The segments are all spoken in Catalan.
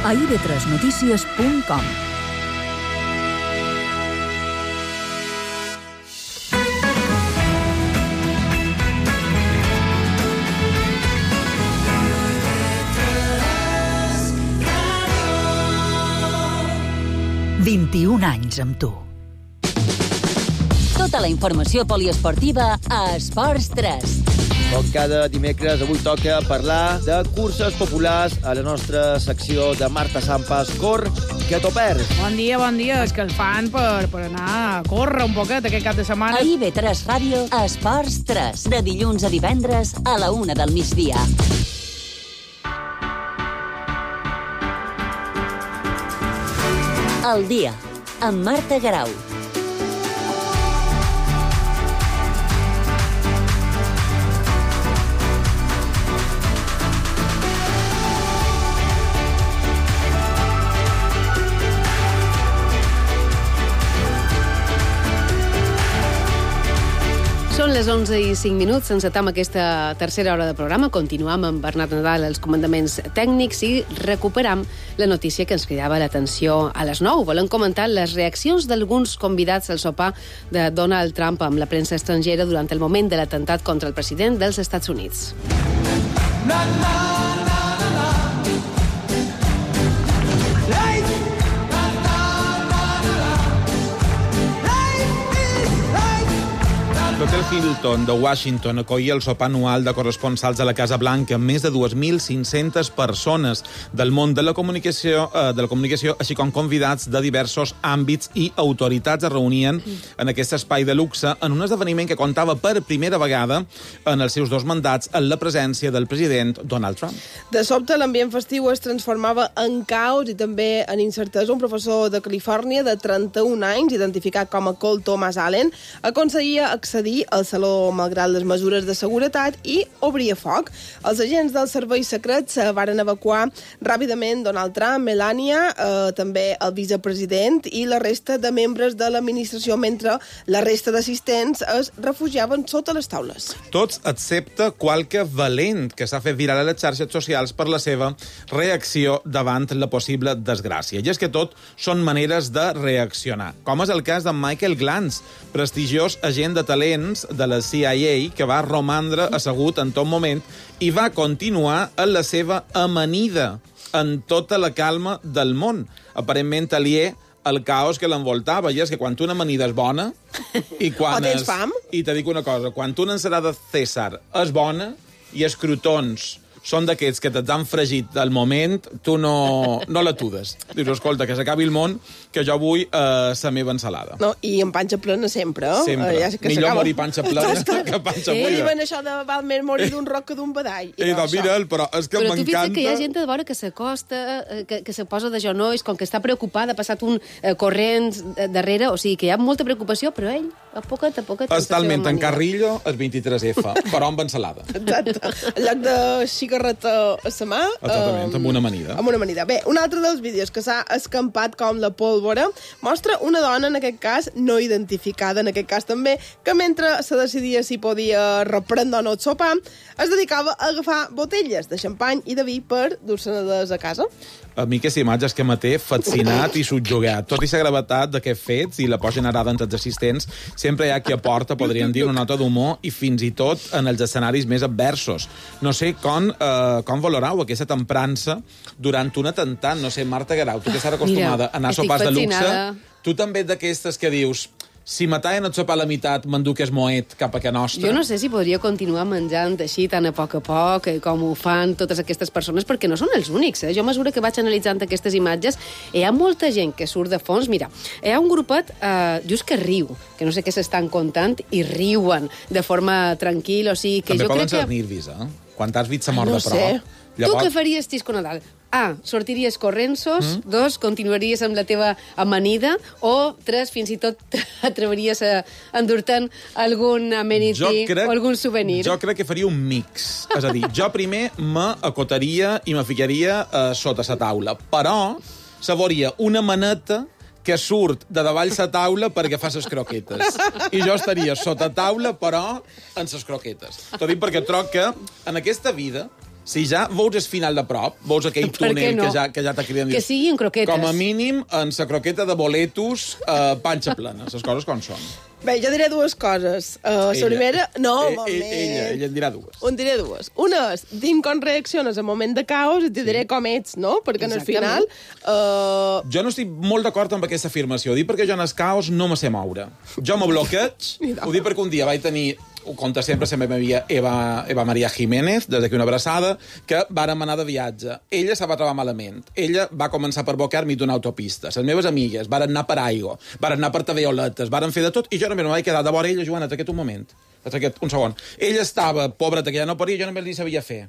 a ib3notícies.com. «21 anys amb tu». Tota la informació poliesportiva a Esports 3. Com cada dimecres, avui toca parlar de curses populars a la nostra secció de Marta Sampas. Cor, que t'ho perds. Bon dia, és que el fan per anar a córrer un poquet aquest cap de setmana. A IB3 Ràdio, Esports 3, de dilluns a divendres a la 1 del migdia. El dia, amb Marta Garau. Són les 11:05, encetam aquesta tercera hora de programa. Continuam amb Bernat Nadal als comandaments tècnics i recuperam la notícia que ens cridava l'atenció a les 9. Volem comentar les reaccions d'alguns convidats al sopar de Donald Trump amb la premsa estrangera durant el moment de l'atemptat contra el president dels Estats Units. L'Hotel Hilton de Washington acollia el sopar anual de corresponsals a la Casa Blanca amb més de 2.500 persones del món de la comunicació, així com convidats de diversos àmbits i autoritats es reunien en aquest espai de luxe en un esdeveniment que comptava per primera vegada en els seus 2 mandats en la presència del president Donald Trump. De sobte, l'ambient festiu es transformava en caos i també en incertesa. Un professor de Califòrnia de 31 anys, identificat com a Cole Thomas Allen, aconseguia accedir al saló malgrat les mesures de seguretat i obria foc. Els agents dels serveis secrets varen evacuar ràpidament Donald Trump, Melania, també el vicepresident i la resta de membres de l'administració, mentre la resta d'assistents es refugiaven sota les taules. Tots excepte qualque valent que s'ha fet viral a les xarxes socials per la seva reacció davant la possible desgràcia. I és que tot són maneres de reaccionar, com és el cas de Michael Glantz, prestigiós agent de talent de la CIA, que va romandre assegut en tot moment i va continuar en la seva amanida en tota la calma del món, aparentment aliè al caos que l'envoltava. I és que quan una amanida és bona i quan o tens fam? I te dic una cosa, quan una ensalada César és bona i els crotons són d'aquests que t'han fregit al moment, tu no l'atudes. Dius, escolta, que s'acabi el món, que jo vull la meva ensalada. No, i amb panxa plena sempre. Sempre. Ja millor morir panxa plena que panxa buida. Diuen això de val més morir d'un roc que d'un badall. Mira'l, però és que m'encanta... Però tu fixa't que hi ha gent de vora que s'acosta, que se posa de genolls, com que està preocupada, ha passat un corrent darrere, o sigui que hi ha molta preocupació, però ell, a poquet... És talment en Carrillo, el 23F, però amb ensalada. Exacte. En lloc de cigarreta a la mà... Exactament, amb una amanida. Amb una amanida. Bé, un altre dels vídeos que s'ha escampat com la pólvora mostra una dona, en aquest cas, no identificada, en aquest cas també, que mentre se decidia si podia reprendre o no el sopar, es dedicava a agafar botelles de xampany i de vi per dur-se-les a casa. A mi aquesta imatge és que me té fascinat i subjugat. Tot i la gravetat d'aquests fets i la por generada entre els assistents, sempre hi ha qui aporta, podríem dir, una nota d'humor i fins i tot en els escenaris més adversos. No sé com valorau aquesta temprança durant un atemptat. No sé, Marta Garau, tu que estàs acostumada a anar a sopars de luxe, tu també ets d'aquestes que dius... Si mataven el sopar a la meitat, m'enduc es moet cap a casa nostra. Jo no sé si podria continuar menjant així tan a poc, com ho fan totes aquestes persones, perquè no són els únics. Jo a mesura que vaig analitzant aquestes imatges, hi ha molta gent que surt de fons. Mira, hi ha un grupet just que riu, que no sé què s'estan contant, i riuen de forma tranquil·la. O sigui, que també jo poden crec ser nervis, eh? Quan t'has vist la mort no de prop. sé. Llavors... Tu què faries, Xisco Nadal? A, sortiries corrensos, 2, continuaries amb la teva amanida, o 3, fins i tot t'atreviries a endur-te'n algun amenity o algun souvenir. Jo crec que faria un mix. És a dir, jo primer m'acotaria i me ficaria sota la taula, però sabria una maneta que surt de davall la taula perquè fa les croquetes. I jo estaria sota taula, però en les croquetes. T'ho dic perquè troc que en aquesta vida si ja veus el final de prop, veus aquell túnel no? que ja t'ha cridat... Que sigui en croquetes. Com a mínim, en la croqueta de boletos, panxa plena. Les coses com són. Bé, jo diré dues coses. La primera... No, moment. Ella en dirà dues. En diré dues. Una és, dim com reacciones en moment de caos i te diré com ets, no? Perquè en el final... Jo no estic molt d'acord amb aquesta afirmació. Ho dic perquè jo en el caos no me sé moure. Jo me bloqueig. Ho dic perquè un dia vaig tenir... Ho conta sempre la meva amiga Eva Maria Jiménez, des d'aquí una abraçada, que vàrem anar de viatge. Ella se va trobar malament. Ella va començar per bocar-me d'una autopista. Les meves amigues varen anar per aigua, varen anar per tavioletes, varen fer de tot, i jo només me vaig quedar de vora ella, Joana, aquest un moment. Un segon. Ella estava, pobreta, que ja no podia, jo només li sabia fer.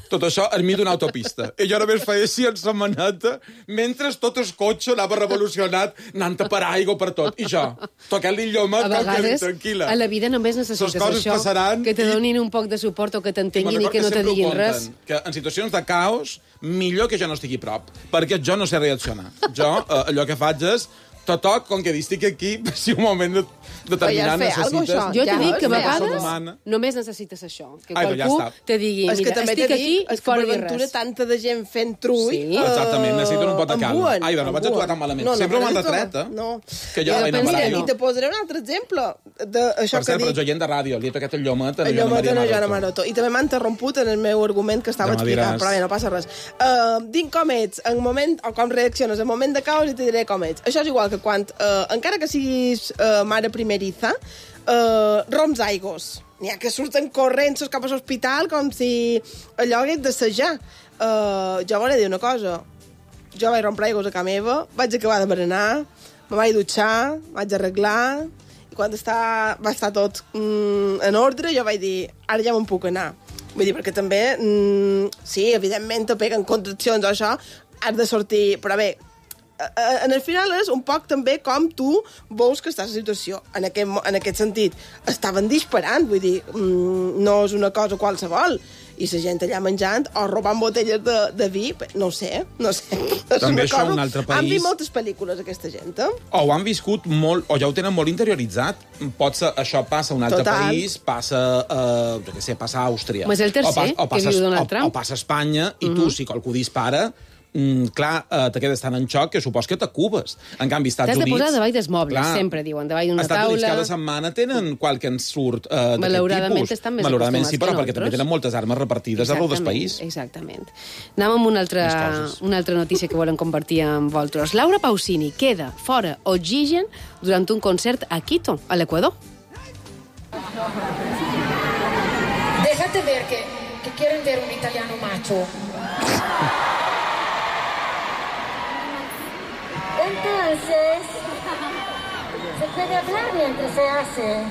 Tot això enmig d'una autopista. I jo només feia així en sa maneta, mentre tot el cotxe anava revolucionat, anant per aigua per tot. I jo, tocant-li lloma, a vegades, tranquil·la. a la vida només necessites això, passaran que te donin un poc de suport o que t'entenguin i que no te diguin res. Que en situacions de caos, millor que jo no estigui prop, perquè jo no sé reaccionar. Jo, allò que faig és totoc, com que estic aquí, si un moment determinat necessites... Jo t'he dit que a vegades només necessites això. Que qualcú te digui, mira, estic aquí i fora dir res. Tanta de gent fent trull... Sí. Exactament, necessiten un pot de calma. Ai, no vaig actuar tan malament. Sempre m'han retret, eh? No. I te posaré un altre exemple. Per cert, per els oients de ràdio, li he tocat el llomet a la Joana Maroto. I també m'ha interromput en el meu argument que estava explicant, però bé, no passa res. Dic com ets en moment, o com reacciones en moment de caos i te diré com ets. Això és igual que quan, encara que siguis mare primeriza, roms aigos. N'hi ha que surten corrents cap a l'hospital com si allò hagués d'assajar. Jo volia dir una cosa. Jo vaig rompre aigos a casa meva, vaig acabar de berenar, me vaig dutxar, vaig arreglar, i quan va estar tot en ordre, jo vaig dir, ara ja me'n puc anar. Vull dir, perquè també, sí, evidentment te peguen contraccions o això, has de sortir, però bé, en el final és un poc també com tu veus que estàs a la situació. En aquest sentit, estaven disparant, vull dir, no és una cosa qualsevol. I la gent allà menjant o robant botelles de vi, no ho sé. També això un altre país... Han vist moltes pel·lícules, aquesta gent, O ho han viscut molt, o ja ho tenen molt interioritzat. Potser això passa a un altre país, passa a Àustria. Mas el tercer, que viu Donald Trump. O passa a Espanya, i tu, si qualcú dispara, clar, te quedes tan en xoc que supos que t'acubes. En canvi, Estats Units... T'has de posar davall dels mobles, sempre diuen, davall d'una taula... Estats Units cada setmana tenen qualque ensurt d'aquest tipus. Malauradament estan més acostumats sí, però perquè també tenen moltes armes repartides arreu del país. Exactament. Anem amb una altra notícia que volem compartir amb vosaltres. Laura Pausini queda fora oxigen durant un concert a Quito, a l'Equador. Déjate ver que quieren ver un italiano macho. Entonces, se puede hablar mientras se hace.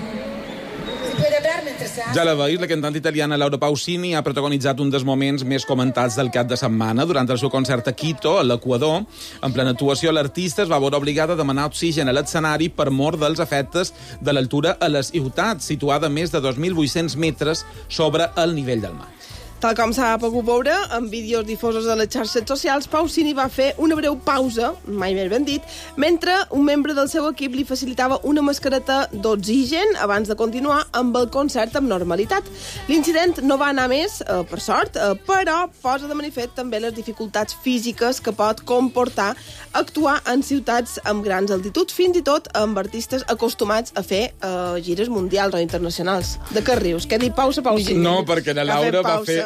Ja la veus, la cantant italiana Laura Pausini ha protagonitzat un dels moments més comentats del cap de setmana. Durant el seu concert a Quito, a l'Equador, en plena actuació, l'artista es va veure obligada a demanar oxigen a l'escenari per mor dels efectes de l'altura a la ciutat, situada a més de 2.800 metres sobre el nivell del mar. Tal com s'ha pogut veure, en vídeos difosos a les xarxes socials, Pausini va fer una breu pausa, mai més ben dit, mentre un membre del seu equip li facilitava una mascareta d'oxigen abans de continuar amb el concert amb normalitat. L'incident no va anar més, per sort, però posa de manifest també les dificultats físiques que pot comportar actuar en ciutats amb grans altituds, fins i tot amb artistes acostumats a fer gires mundials o internacionals. De què rius? Què ha dit pausa, Pausini? No, perquè la Laura va fer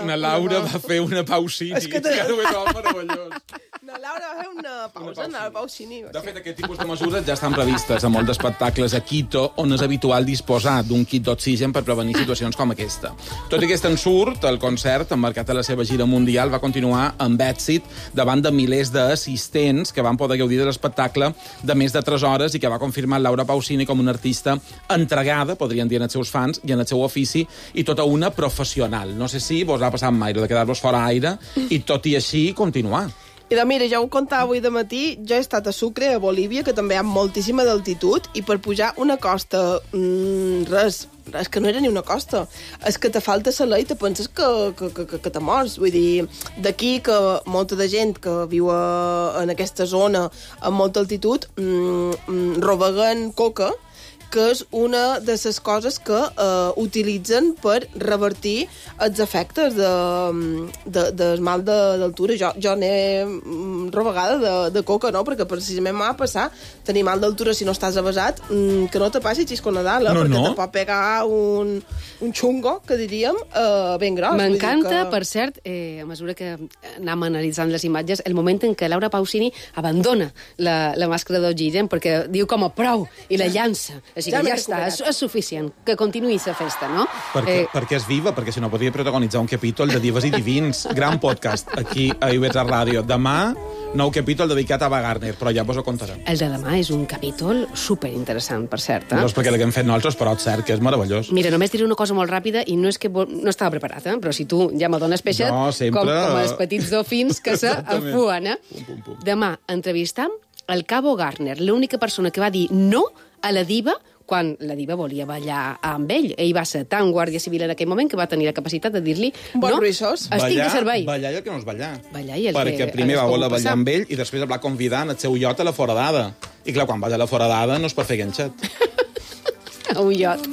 una Pausini. És que meravellós. La Laura va fer una pausa, la Pausini. De fet, aquest tipus de mesures ja estan previstes a molts espectacles a Quito, on és habitual disposar d'un kit d'oxigen per prevenir situacions com aquesta. Tot i aquest ensurt, el concert, emmarcat a la seva gira mundial, va continuar amb èxit davant de milers d'assistents que van poder gaudir de l'espectacle de més de 3 hores i que va confirmar Laura Pausini com una artista entregada, podrien dir, en els seus fans i en el seu ofici, i tota una professional. No sé si vos ha passat mai de quedar-vos fora aire i tot i així continuar. I doncs mira, ja ho contava avui de matí, jo he estat a Sucre, a Bolívia, que també hi ha moltíssima d'altitud, i per pujar una costa, res, és que no era ni una costa, és que te falta saler i te penses que te mors. Vull dir, d'aquí que molta de gent que viu en aquesta zona amb molta altitud robeguen coca que és una de les coses que utilitzen per revertir els efectes del mal d'altura. Jo n'he rovegada de coca, no? Perquè precisament m'ha passat tenir mal d'altura si no estàs avasat, que no te passi xisco Nadal, perquè te pot pegar un xungo, que diríem, ben gros. M'encanta, per cert, a mesura que anem analitzant les imatges, el moment en què Laura Pausini abandona la màscara d'oxigen perquè diu com a prou i la llança. Així que ja està, és suficient. Que continuï la festa, no? Perquè és viva, perquè si no podria protagonitzar un capítol de Divas i Divins. Gran podcast aquí a IB3 Ràdio. Demà, nou capítol dedicat a Ava Gardner, però ja vos ho contarem. El de demà és un capítol superinteressant, per cert. No és perquè l'haguem fet nosaltres, però és cert que és meravellós. Mira, només diré una cosa molt ràpida, i no és que no estava preparat, però si tu ja me dones peixet, com els petits dofins que s'afuen. Demà entrevistam el Cabo Gardner, l'única persona que va dir no a la diva quan la diva volia ballar amb ell. Ell va ser tan guàrdia civil en aquell moment que va tenir la capacitat de dir-li no, estic de servei. Ballar i el que no és ballar. Perquè primer va voler ballar amb ell i després el va convidar en el seu iot a la foradada. I clar, quan vas a la foradada no es pot fer ganxet. A un iot.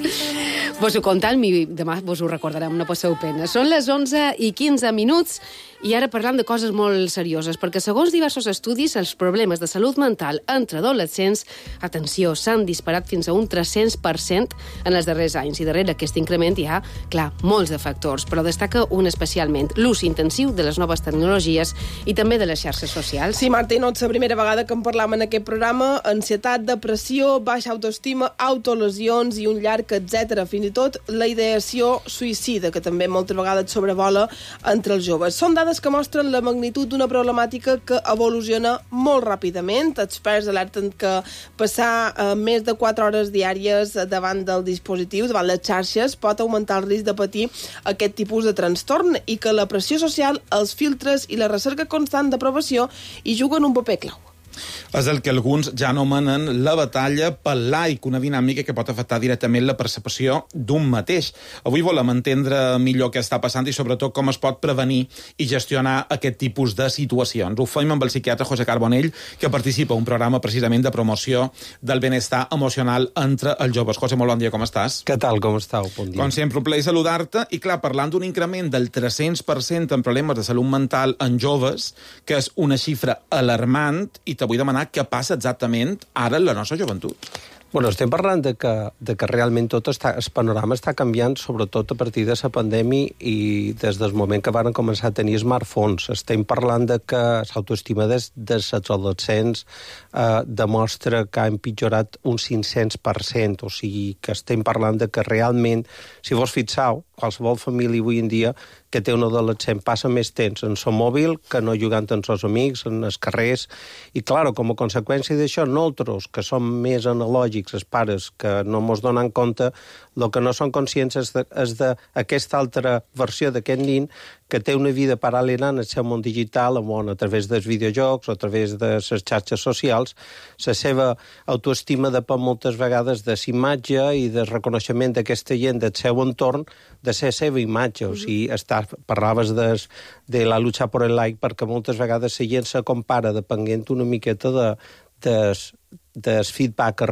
Vos ho contant, demà vos ho recordarem, no passeu pena. Són les 11:15 i ara parlant de coses molt serioses, perquè segons diversos estudis, els problemes de salut mental entre adolescents, atenció, s'han disparat fins a un 300% en els darrers anys. I darrere aquest increment hi ha, clar, molts de factors, però destaca un especialment, l'ús intensiu de les noves tecnologies i també de les xarxes socials. Sí, Marta, i no és la primera vegada que en parlam en aquest programa. Ansietat, depressió, baixa autoestima, autolesions i un llarg etcètera. Fins i tot la ideació suïcida, que també moltes vegades sobrevola entre els joves. Són dades que mostren la magnitud d'una problemàtica que evoluciona molt ràpidament. Experts alerten que passar més de 4 hores diàries davant del dispositiu, davant les xarxes, pot augmentar el risc de patir aquest tipus de trastorn i que la pressió social, els filtres i la recerca constant d'aprovació hi juguen un paper clau. És el que alguns ja anomenen la batalla pel like, una dinàmica que pot afectar directament la percepció d'un mateix. Avui volem entendre millor què està passant i sobretot com es pot prevenir i gestionar aquest tipus de situacions. Ho fem amb el psiquiatre José Carbonell, que participa en un programa precisament de promoció del benestar emocional entre els joves. José, molt bon dia, com estàs? Què tal, com estàu? Bon dia. Com sempre, un plaer saludar-te. I clar, parlant d'un increment del 300% en problemes de salut mental en joves, que és una xifra alarmant, i vull demanar què passa exactament ara en la nostra joventut. Bueno, estem parlant de que realment tot el panorama està canviant, sobretot a partir de la pandèmia i des del moment que van començar a tenir smartphones. Estem parlant de que l'autoestima dels adolescents demostra que ha empitjorat un 500%, o sigui que estem parlant de que realment, si vos fixeu, qualsevol família avui en dia que té un adolescent passa més temps en el mòbil que no jugant amb els amics, en els carrers, i, clar, com a conseqüència d'això, nosaltres, que som més analògics, els pares, que no mos donen compte, el que no són conscients és d'aquesta altra versió d'aquest nin que té una vida paral·lela en el seu món digital, on a través dels videojocs o a través de les xarxes socials, la seva autoestima depèn moltes vegades de la imatge i del reconeixement d'aquesta gent del seu entorn, de la seva imatge. O sigui, parlaves de la lucha por el like, perquè moltes vegades la gent se compara depenent una miqueta del feedback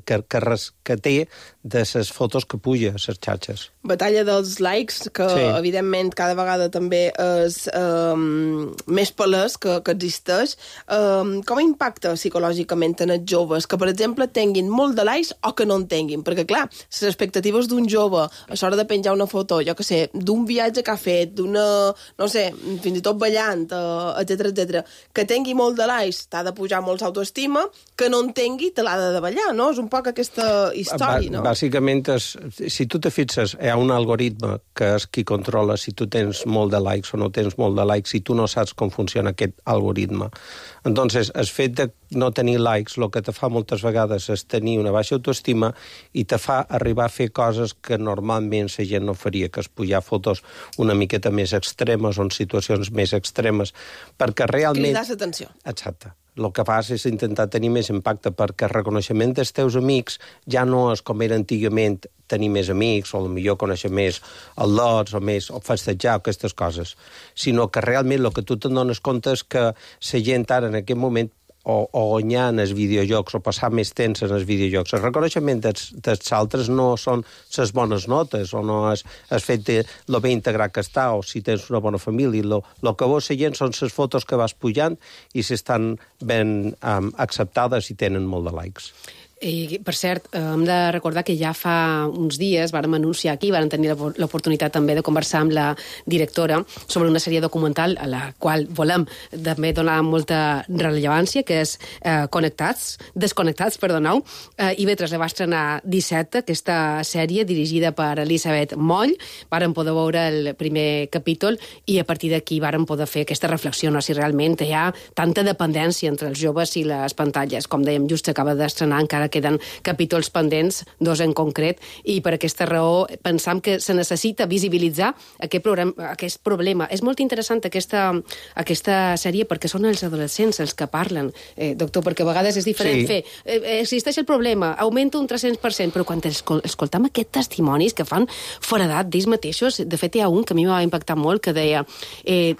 que té de les fotos que puja a les xarxes. Batalla dels likes, que sí, evidentment cada vegada també és més palès que existeix. Com impacta psicològicament en els joves que, per exemple, tinguin molt de likes o que no en tinguin? Perquè, clar, les expectatives d'un jove a l'hora de penjar una foto, jo que sé, d'un viatge que ha fet, d'una, no sé, fins i tot ballant, etcètera, que tingui molt de likes, t'ha de pujar molt l'autoestima, que no en tingui, te l'ha de davallar, no? És un poc aquesta història, no? Bàsicament, si tu te fixes, hi ha un algoritme que és qui controla si tu tens molt de likes o no tens molt de likes, si tu no saps com funciona aquest algoritme. Entonces, el fet de no tenir likes, el que te fa moltes vegades és tenir una baixa autoestima i te fa arribar a fer coses que normalment la gent no faria, que és pujar fotos una miqueta més extremes o en situacions més extremes, perquè realment... Cridar l'atenció. Exacte. El que fas és intentar tenir més impacte, perquè el reconeixement dels teus amics ja no és com era antigament tenir més amics, o potser conèixer més el lots, o festejar, aquestes coses, sinó que realment el que tu te'n dones compte és que la gent ara en aquest moment guanyar en els videojocs o passar més temps en els videojocs. El reconeixement dels altres no són les bones notes o no és el fet de lo bé integrat que està o si tens una bona família. Lo que vols seguint són les fotos que vas pujant i si estan ben acceptades i tenen molt de likes. I, per cert, hem de recordar que ja fa uns dies vàrem anunciar aquí, vàrem tenir l'oportunitat també de conversar amb la directora sobre una sèrie documental a la qual volem també donar molta rellevància, que és Desconnectats, IB3 la va estrenar dissabte, aquesta sèrie dirigida per Elisabet Moll. Vàrem poder veure el primer capítol i a partir d'aquí vàrem poder fer aquesta reflexió, no? Si realment hi ha tanta dependència entre els joves i les pantalles. Com dèiem, just acaba d'estrenar, encara queden capítols pendents, 2 en concret, i per aquesta raó pensam que se necessita visibilitzar aquest problema. És molt interessant aquesta sèrie perquè són els adolescents els que parlen, doctor, perquè a vegades és diferent fer. Existeix el problema, augmenta un 300%, però quan escoltam aquests testimonis que fan foradat d'ells mateixos, de fet hi ha un que a mi m'ha impactat molt, que deia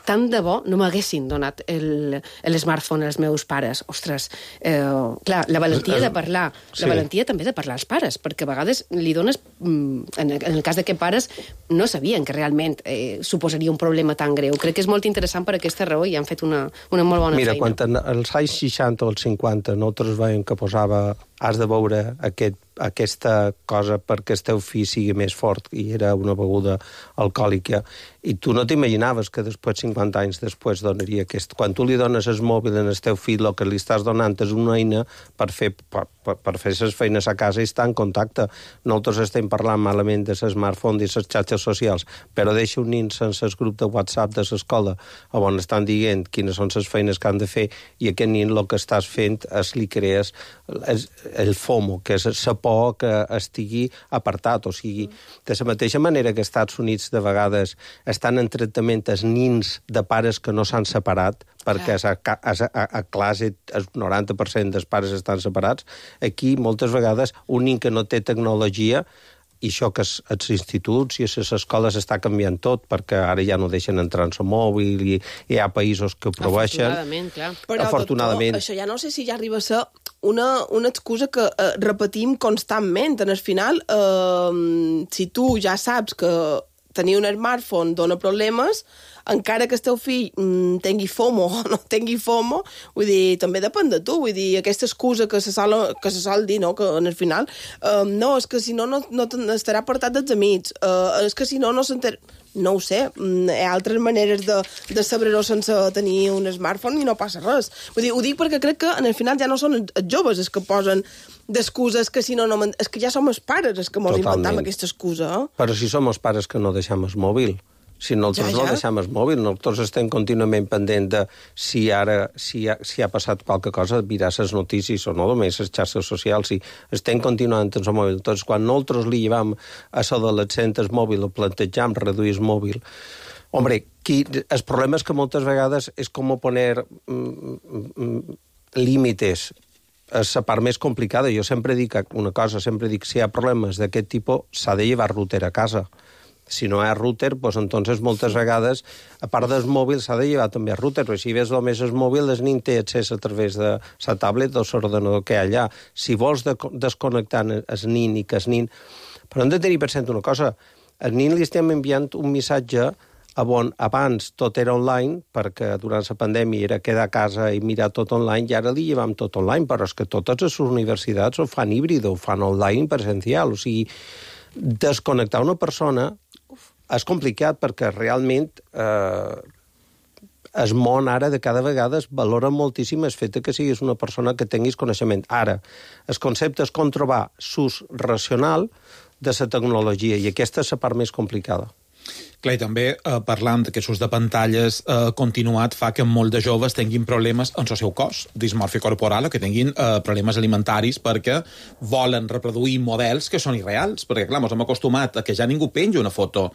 tant de bo no m'haguessin donat l'smartphone als meus pares. Ostres, clar, la valentia de parlar, la valentia també de parlar als pares, perquè a vegades li dones, en el cas de que pares no sabien que realment suposaria un problema tan greu. Crec que és molt interessant per aquesta raó i han fet una molt bona feina. Mira, quan als anys 60 o als 50 nosaltres veiem que posava has de veure aquesta cosa perquè el teu fill sigui més fort i era una beguda alcohòlica i tu no t'imaginaves que després, 50 anys després, donaria aquest... Quan tu li dones el mòbil al teu fill, el que li estàs donant és una eina per fer les feines a casa i estar en contacte. Nosaltres estem parlant malament de smartphone i les xarxes socials, però deixa un nin sense el grup de WhatsApp de l'escola on estan dient quines són les feines que han de fer i aquest nin el que estàs fent és li crees el FOMO, que és la por que estigui apartat, o sigui, de la mateixa manera que als Estats Units de vegades estan en tractament els nins de pares que no s'han separat, perquè a classe el 90% dels pares estan separats, aquí moltes vegades un nin que no té tecnologia i això que els instituts i les escoles està canviant tot, perquè ara ja no deixen entrar en el mòbil i hi ha països que ho prohibeixen. Afortunadament, clar. Però, afortunadament. Doctor, això ja no sé si ja arriba a ser una excusa que repetim constantment. En el final, si tu ja saps que tenir un smartphone dona problemes, encara que el teu fill tingui FOMO o no tingui FOMO, vull dir, també depèn de tu, vull dir, aquesta excusa que se sol dir, no?, que en el final, no, és que si no estarà apartat dels amics, és que si no s'entera... No ho sé, hi ha altres maneres de saber-ho sense tenir un smartphone i no passa res. Vull dir, ho dic perquè crec que en el final ja no són els joves els que posen d'excuses que si no... És que ja som els pares els que ens inventem aquesta excusa. Però si som els pares que no deixem el mòbil. Si nosaltres no deixem el mòbil, nosaltres estem contínuament pendent de si ha passat qualque cosa, mirar les notícies o no, només les xarxes socials, i estem continuant amb el mòbil. Doncs quan nosaltres li llevam a l'adolescent el mòbil o plantejam reduir el mòbil, hombre, el problema és que moltes vegades és com poner límites. És la part més complicada. Jo sempre dic una cosa, si hi ha problemes d'aquest tipus, s'ha de llevar router a casa. Si no hi ha router, doncs entonces moltes vegades, a part del mòbil, s'ha de llevar també el router, però si ves només el mòbil, el nin té accés a través de la tablet o l'ordenador que hi ha allà. Si vols desconnectar el nin i que el nin... Però hem de tenir present una cosa, al nin li estem enviant un missatge on abans tot era online, perquè durant la pandèmia era quedar a casa i mirar tot online, i ara li llevam tot online, però és que totes les universitats ho fan híbrid, ho fan online presencial, o sigui, desconnectar una persona és complicat perquè realment el món ara de cada vegada es valora moltíssim el fet que siguis una persona que tinguis coneixement. Ara, el concepte és com trobar l'ús racional de la tecnologia i aquesta és la part més complicada. Clar, i també parlant d'aquest ús de pantalles continuat fa que molts de joves tinguin problemes en el seu cos, dismòrfia corporal, o que tinguin problemes alimentaris perquè volen reproduir models que són irreals, perquè clar, ens hem acostumat a que ja ningú penja una foto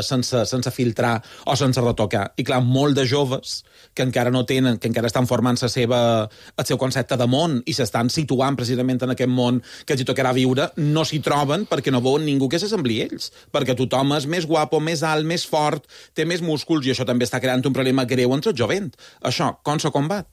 sense filtrar o sense retocar, i clar, molts de joves que encara no tenen, que encara estan formant el seu concepte de món i s'estan situant precisament en aquest món que els hi tocarà viure, no s'hi troben perquè no veuen ningú que s'assembli a ells, perquè tothom és més guapo, més alt, més fort, té més músculs, i això també està creant un problema greu entre el jovent. Això, com se combat?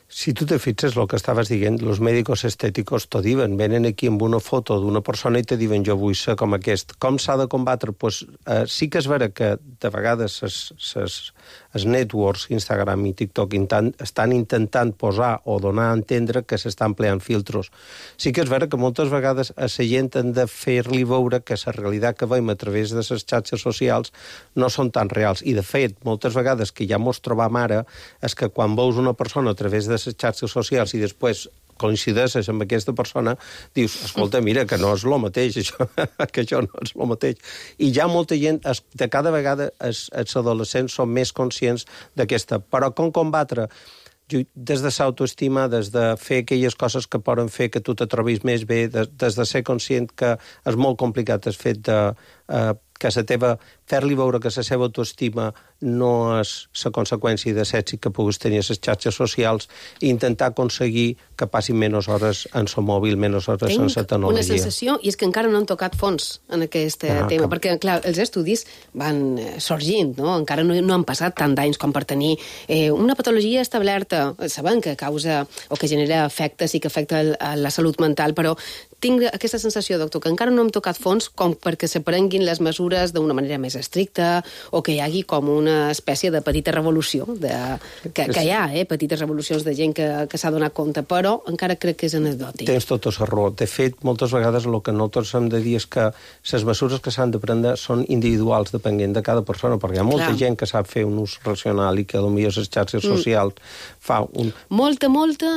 Si tu te fixes el que estaves dient, els mèdics estètics t'ho diuen, venen aquí amb una foto d'una persona i te diuen jo vull ser com aquest. Com s'ha de combatre? Pues, sí que és vera que de vegades els networks, Instagram i TikTok, estan intentant posar o donar a entendre que s'estan empleant filtros. Sí que és vera que moltes vegades a la gent han de fer-li veure que la realitat que veiem a través de les xarxes socials no són tan reals. I, de fet, moltes vegades que ja mos trobam ara és que quan veus una persona a través de les xarxes socials i després coincideixes amb aquesta persona, dius, escolta, mira, que no és el mateix, això, que això no és el mateix. I ja molta gent, de cada vegada els adolescents són més conscients d'aquesta. Però com combatre? Des de l'autoestima, des de fer aquelles coses que poden fer que tu te trobis més bé, des de ser conscient que és molt complicat el fet de que fer-li veure que la seva autoestima no és la conseqüència de l'èxit que puguis tenir a les xarxes socials i intentar aconseguir que passin menys hores en el mòbil, menys hores en la tecnologia. Una sensació, i és que encara no han tocat fons en aquest tema, perquè, clar, els estudis van sorgint, no? Encara no han passat tant d'anys com per tenir una patologia establerta, sabem que causa o que genera efectes i que afecta la salut mental, però tinc aquesta sensació, doctor, que encara no hem tocat fons com perquè se prenguin les mesures d'una manera més estricta o que hi hagi com una espècie de petita revolució, que hi ha, petites revolucions de gent que s'ha donat compte, però encara crec que és anecdòtic. Tens tota la raó. De fet, moltes vegades el que nosaltres hem de dir és que les mesures que s'han de prendre són individuals, depenent de cada persona, perquè hi ha molta gent que sap fer un ús racional i que potser les xarxes socials fa un... Molta,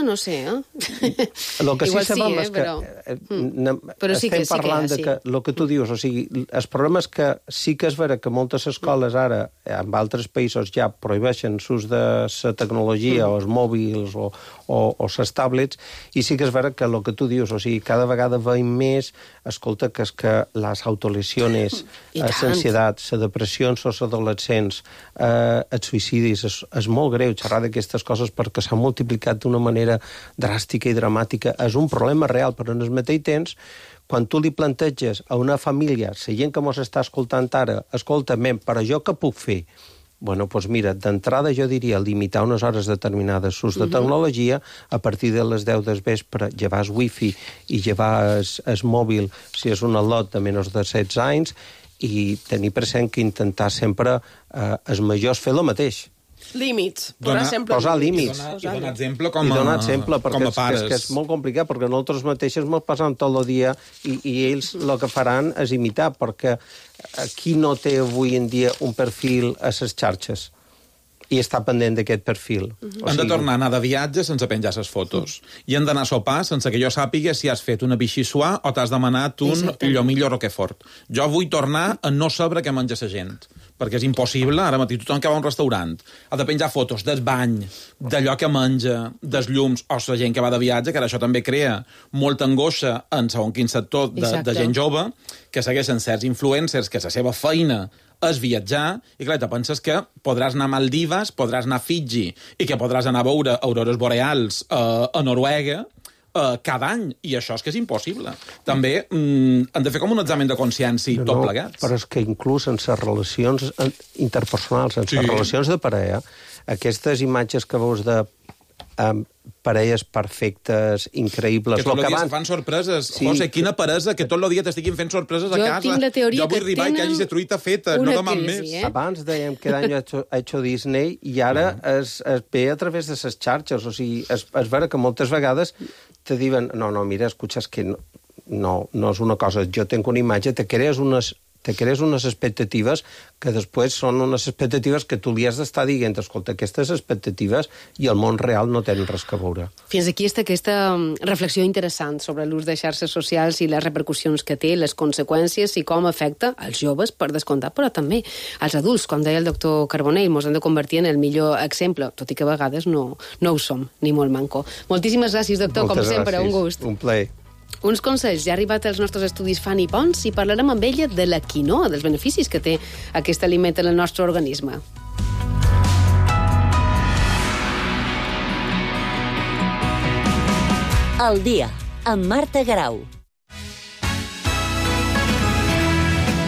no sé, El que sí sabem és que... Però sí que estem parlant de que el que tu dius, o sigui, el problema és que sí que és vera que moltes escoles ara, en altres països ja prohibeixen l'ús de la tecnologia o els mòbils o les tablets, i sí que és vera que el que tu dius, o sigui, cada vegada veiem més, escolta, que és que les autolesiones, l'ansietat, la depressió en els adolescents, els suïcidis, és molt greu xerrar d'aquestes coses perquè s'ha multiplicat d'una manera dràstica i dramàtica. És un problema real, però en el mateix temps, quan tu li planteges a una família, la gent que mos està escoltant ara, escolta, però jo què puc fer? Bueno, doncs mira, d'entrada jo diria limitar unes hores determinades l'ús de tecnologia, a partir de les 10 del vespre llevar el wifi i llevar el mòbil si és un lot de menys de 16 anys i tenir present que intentar sempre els majors fer el mateix. Límits. Posar límits. I donar exemple com a pares. És que és molt complicat, perquè nosaltres mateixos ens passam tot el dia i ells el que faran és imitar, perquè qui no té avui en dia un perfil a les xarxes i està pendent d'aquest perfil? Han de tornar a anar de viatge sense penjar les fotos. I han d'anar a sopar sense que jo sàpiga si has fet una bixissuà o t'has demanat un llomillo Roquefort. Jo vull tornar a no saber què menja la gent, perquè és impossible. Ara mateix tothom que va a un restaurant ha de penjar fotos del bany, d'allò que menja, dels llums, o la gent que va de viatge, que ara això també crea molta angoixa en segons quin sector de gent jove, que segueixen certs influencers que la seva feina és viatjar, i clar, te penses que podràs anar a Maldives, podràs anar a Fiji, i que podràs anar a veure aurores boreals a Noruega cada any, i això és que és impossible. També han de fer com un examen de consciència tot plegats. Però és que inclús en les relacions interpersonals, en les relacions de parella, aquestes imatges que veus de parelles perfectes, increïbles... Que tot el dia se fan sorpreses. José, quina peresa, que tot el dia t'estiguin fent sorpreses a casa. Jo tinc la teoria que tenen que hagi de truita feta, no demà més. Abans dèiem que any ha hecho Disney i ara es ve a través de les xarxes. O sigui, és vera que moltes vegades te diuen, no, mira, escucha, és que no és una cosa, jo tenc una imatge, te crees unes expectatives que després són unes expectatives que tu li has d'estar dient, escolta, aquestes expectatives i el món real no tenen res que veure. Fins aquí està aquesta reflexió interessant sobre l'ús de xarxes socials i les repercussions que té, les conseqüències i com afecta als joves, per descomptat, però també als adults. Com deia el doctor Carbonell, ens hem de convertir en el millor exemple, tot i que a vegades no ho som, ni molt manco. Moltíssimes gràcies, doctor, com sempre, un gust. Un plaer. Uns consells. Ja ha arribat als nostres estudis Fanny Pons i parlarem amb ella de la quinoa, dels beneficis que té aquest aliment en el nostre organisme. El dia, amb Marta Garau.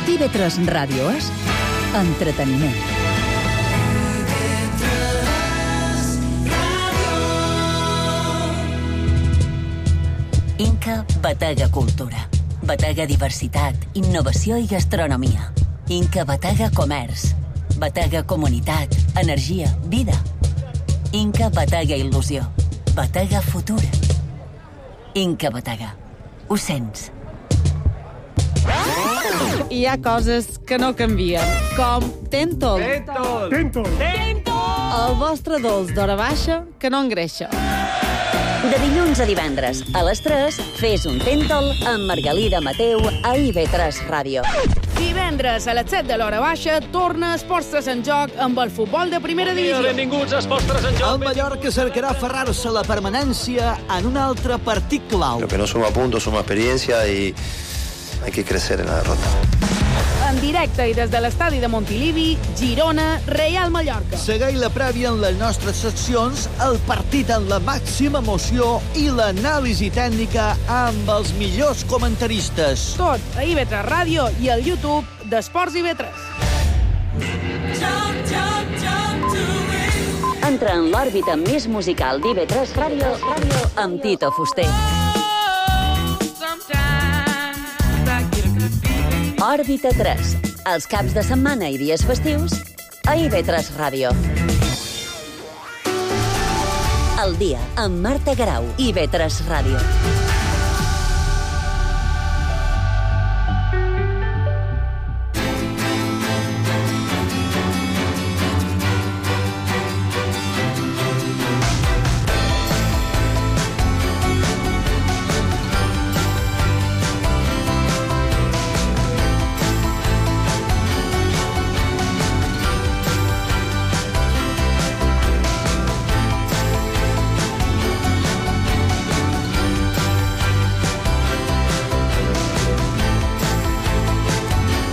TV3 Ràdio és entreteniment. Batega, Batega Cultura. Batega Diversitat, Innovació i Gastronomia. Inca Batega Comerç. Batega Comunitat, Energia, Vida. Inca Batega Il·lusió. Batega Futur. Inca Batega. Ho sents? Hi ha coses que no canvien, com Tentol. Tentol. El vostre dolç d'hora baixa que no engreixa. De dilluns a divendres, a les 3, fes un Tentol amb Margalida Mateu a IB3 Ràdio. Divendres a les 7 de l'hora baixa torna Esports 3 en joc amb el futbol de primera divisió. Benvinguts a Esports 3 en joc. El Mallorca cercarà aferrar-se a la permanència en un altre partit clau. Lo que no suma puntos, suma experiencia y hay que crecer en la derrota. En directe i des de l'estadi de Montilivi, Girona, Real Mallorca. Segueix la prèvia en les nostres seccions, el partit en la màxima emoció i l'anàlisi tècnica amb els millors comentaristes. Tot a IB3 Ràdio i al YouTube d'Esports IB3. Entra en l'òrbita més musical d'IB3 Ràdio amb Tito Fuster. Òrbita 3, els caps de setmana i dies festius a IB3 Ràdio. El dia amb Marta Garau, IB3 Ràdio.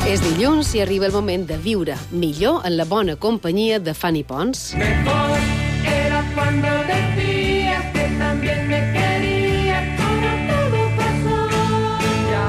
És dilluns i arriba el moment de viure millor en la bona companyia de Fanny Pons. Mejor era cuando decías que también me querías, como todo pasó ya.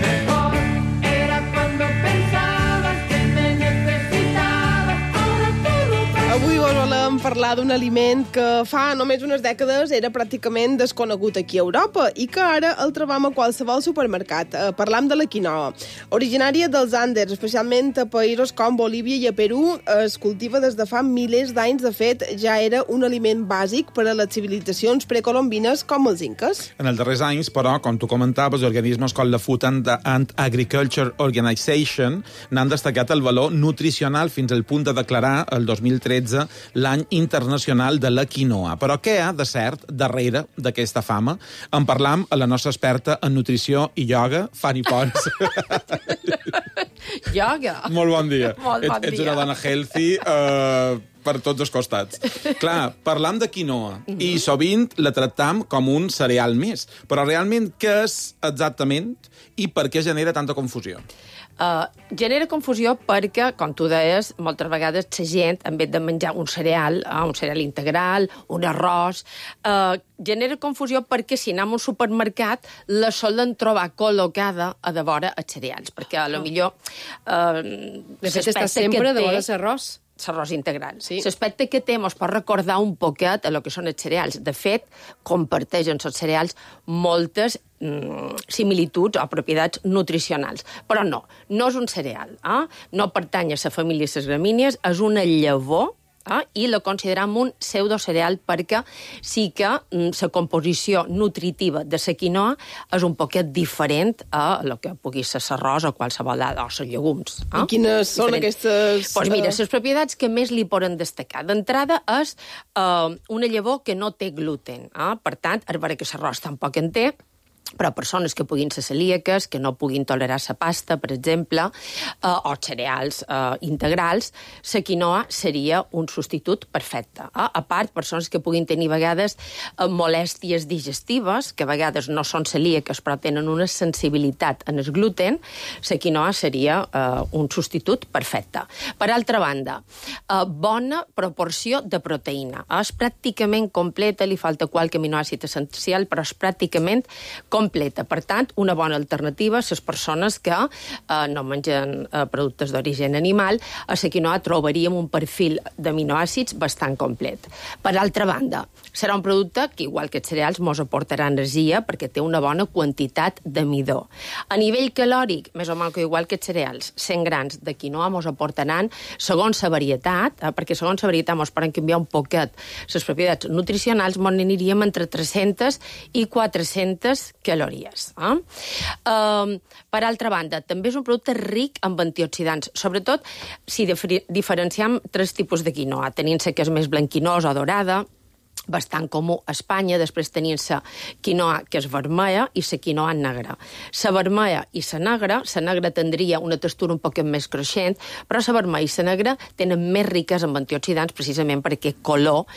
Mejor era cuando pensabas que me necesitabas, ahora todo pasó. Avui vos volem parlar d'un aliment que fa només unes dècades era pràcticament desconegut aquí a Europa i que ara el trobam a qualsevol supermercat. Parlam de la quinoa. Originària dels Andes, especialment a països com Bolívia i a Perú, es cultiva des de fa milers d'anys. De fet, ja era un aliment bàsic per a les civilitzacions precolombines com els inques. En els darrers anys, però, com tu comentaves, organismes com la Food and Agriculture Organization n'han destacat el valor nutricional fins al punt de declarar el 2013 l'any internacional de la quinoa. Però què hi ha de cert darrere d'aquesta fama? En parlam a la nostra experta en nutrició i ioga, Fanny Pons. Ioga? Molt bon dia. Molt bon dia. Ets una dona healthy per tots els costats. Clar, parlam de quinoa i sovint la tractam com un cereal més. Però realment què és exactament i per què genera tanta confusió? Genera confusió perquè, com tu deies, moltes vegades la gent, en vez de menjar un cereal integral, un arròs, genera confusió perquè si anem a un supermercat la solen trobar col·locada a de vora els cereals, perquè a lo millor de fet està sempre de vora l'arròs. L'arròs integral. Sí. L'aspecte que té ens pot recordar un poquet a lo que són els cereals. De fet, comparteixen els cereals moltes similituds o propietats nutricionals. Però no és un cereal. No pertany a la família de les gramínies, és una llavor i la consideram un pseudocereal perquè sí que la composició nutritiva de la quinoa és un poquet diferent a el que pugui ser l'arròs o qualsevol o els llegums. I quines són aquestes? Doncs mira, les propietats que més li poden destacar. D'entrada és una llavor que no té gluten. Per tant, és vera que l'arròs tampoc en té, però persones que puguin ser celíaques, que no puguin tolerar la pasta, per exemple, o cereals integrals, la quinoa seria un substitut perfecte. A part, persones que puguin tenir a vegades molèsties digestives, que a vegades no són celíaques però tenen una sensibilitat en el gluten, la quinoa seria un substitut perfecte. Per altra banda, bona proporció de proteïna. És pràcticament completa, li falta qualque aminoàcid essencial, però és pràcticament completa. Per tant, una bona alternativa a les persones que no mengen productes d'origen animal. A la quinoa trobaríem un perfil d'aminoàcids bastant complet. Per altra banda, serà un producte que, igual que els cereals, mos aportarà energia perquè té una bona quantitat de midó. A nivell calòric, més o menys igual que els cereals, 100 grams de quinoa mos aportaran, segons la varietat, perquè segons la varietat mos poden canviar un poquet les propietats nutricionals, mos n'aniríem entre 300 i 400 calories. Per altra banda, també és un producte ric en antioxidants, sobretot si diferenciem 3 tipus de quinoa, tenint-se que és més blanquinosa o dorada, bastant comú a Espanya, després tenien la quinoa que és vermella i la quinoa negra. La vermella i la negra tindria una textura un poc més cruixent, però la vermella i la negra tenen més riques en antioxidants precisament per aquest color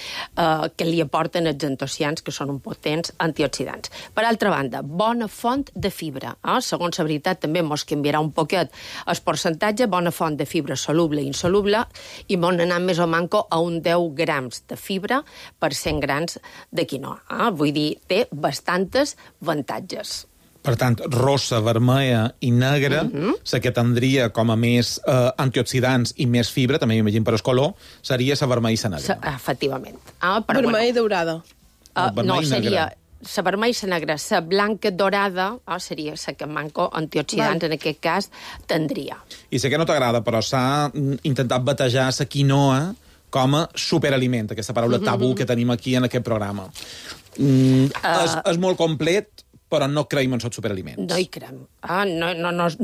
que li aporten els antocians, que són un potents antioxidants. Per altra banda, bona font de fibra. Segons la veritat també mos canviarà un poquet el percentatge, bona font de fibra soluble i insoluble, i bon anar més o manco a un 10 grams de fibra per 100 grans de quinoa. Vull dir, té bastantes avantatges. Per tant, rossa, vermella i negra, la que tindria com a més antioxidants i més fibra, també m'imagino per el color, seria la vermella i la negra. Efectivament. Vermella i daurada. No, seria la vermella i la negra. La blanca dorada seria la que manco antioxidants, en aquest cas, tindria. I sé que no t'agrada, però s'ha intentat batejar la quinoa com a superaliment, aquesta paraula tabú que tenim aquí en aquest programa. És molt complet, però no creiem en els superaliments. No hi creiem.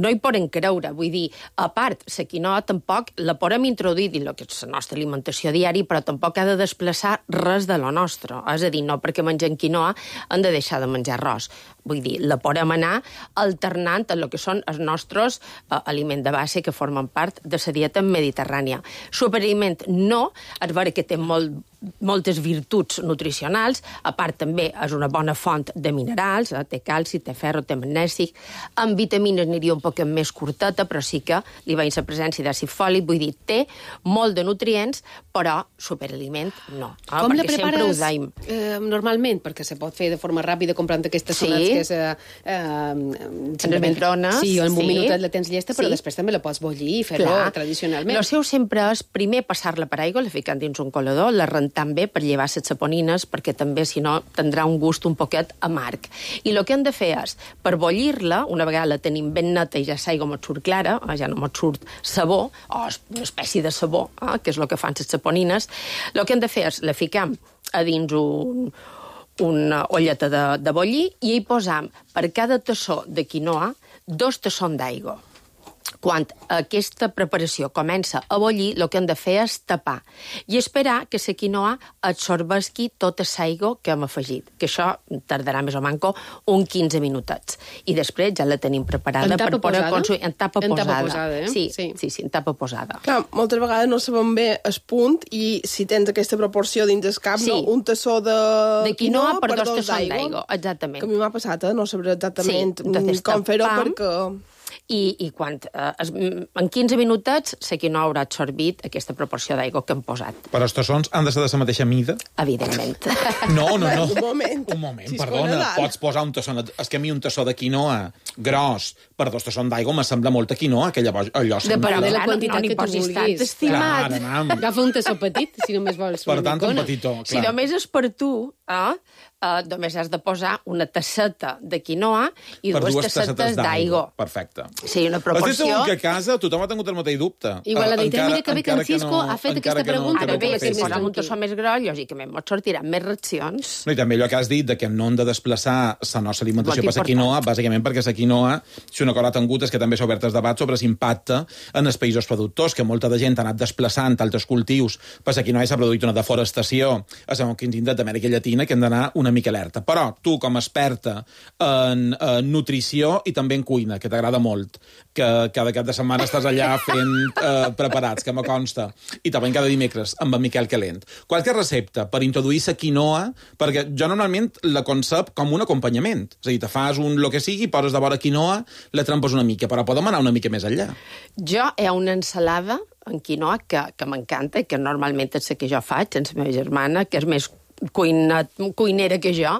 No hi podem creure. Vull dir, a part, la quinoa tampoc la podem introduir dins el que és la nostra alimentació diària, però tampoc ha de desplaçar res de lo nostre. És a dir, no perquè mengem quinoa hem de deixar de menjar arròs. Vull dir, la podem anar alternant en el que són els nostres aliments de base que formen part de la dieta mediterrània. Superaliment no, és vera que té moltes virtuts nutricionals, a part també és una bona font de minerals, té calci, té ferro, té magnèsic, amb vitamines aniria un poc més curteta, però sí que li veiem la presència d'àcid fòlic, vull dir, té molt de nutrients, però superaliment no. Com la prepares normalment? Perquè se pot fer de forma ràpida comprant aquestes sonats que és... en el microones. Sí, en un minutet la tens llesta, però després també la pots bullir i fer-ho tradicionalment. El seu sempre és primer passar-la per aigua, la ficant dins un colador, la rentant bé per llevar les saponines, perquè també, si no, tindrà un gust un poquet amarg. I el que hem de fer és, per bullir-la, una vegada la tenim ben neta i ja l'aigua mos surt clara, ja no mos surt sabó, o una espècie de sabó, que és el que fan les saponines, el que hem de fer és, la ficam a dins una olleta de bullir i hi posam per cada tassó de quinoa 2 tassons d'aigua. Quan aquesta preparació comença a bullir, el que hem de fer és tapar i esperar que la quinoa absorbeixi tota l'aigua que hem afegit, que això tardarà més o menys uns 15 minutets. I després ja la tenim preparada per poder consumir. En tapa posada. Sí, en tapa posada. Clar, moltes vegades no sabem bé el punt i si tens aquesta proporció dins el cap, un tassó de quinoa per 2 tassons d'aigua. Exactament. Que a mi m'ha passat, no sabré exactament com fer-ho perquè... I quan en 15 minutets la quinoa haurà absorbit aquesta proporció d'aigua que hem posat. Però els tassons han de ser de la mateixa mida? Evidentment. No. Un moment, perdona. Pots posar un tassó... És que a mi un tassó de quinoa gros per 2 tassons d'aigua me sembla molta quinoa, que llavors allò... Depèn de la quantitat que tu vulguis. Estimat. Agafa un tassó petit, si només vols. Per tant, un petitó, clar. Si només és per tu, només has de posar una tasseta de quinoa i 2 tassetes d'aigua. Perfecte. Sí, una proporció... Estic segur que a casa tothom ha tingut el mateix dubte. Igual la veritat, mira que bé que en Cisco ha fet aquesta pregunta. Ara bé, si posem un tassó més gros, lògicament mos sortiran més reaccions. No, i també allò que has dit, que no hem de desplaçar la nostra alimentació per la quinoa, bàsicament perquè la quinoa, si una cosa ha tingut és que també s'ha obert el debat sobre l'impacte en els països productors, que molta de gent ha anat desplaçant altres cultius per la quinoa i s'ha produït una deforestació a segons quins indrets d'Amèrica Llatina que hem d'anar una mica alerta. Però tu, com a experta en nutrició i també en cuina, que t'agrada molt, que cada cap de setmana estàs allà fent preparats, que me consta, i també cada dimecres amb en Miquel Calent. Qualque recepta per introduir la quinoa, perquè jo normalment la concep com un acompanyament. És a dir, te fas lo que sigui, poses de vora quinoa, la trampes una mica, però podem anar una mica més enllà. Jo hi ha una ensalada en quinoa que m'encanta, que normalment és la que jo faig, amb la meva germana, que és més cuinera que jo,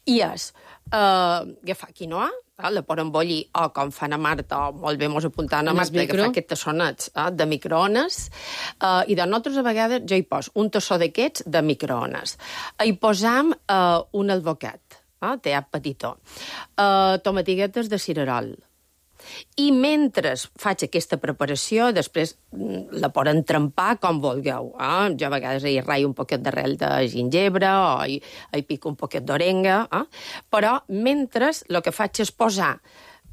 i és agafar quinoa, la poden bollir, o com fan a Marta, o molt bé mos apuntaven a Marta, agafar aquests tassonets de microones, i de nosaltres a vegades jo hi poso un tassó d'aquests de microones. Hi posam un alvocat, teat petitó, tomatiguetes de cirerol. I mentre faig aquesta preparació, després la poden trempar com vulgueu. Jo a vegades hi raio un poquet d'arrel de gingebre o hi pico un poquet d'orenga, però mentre el que faig és posar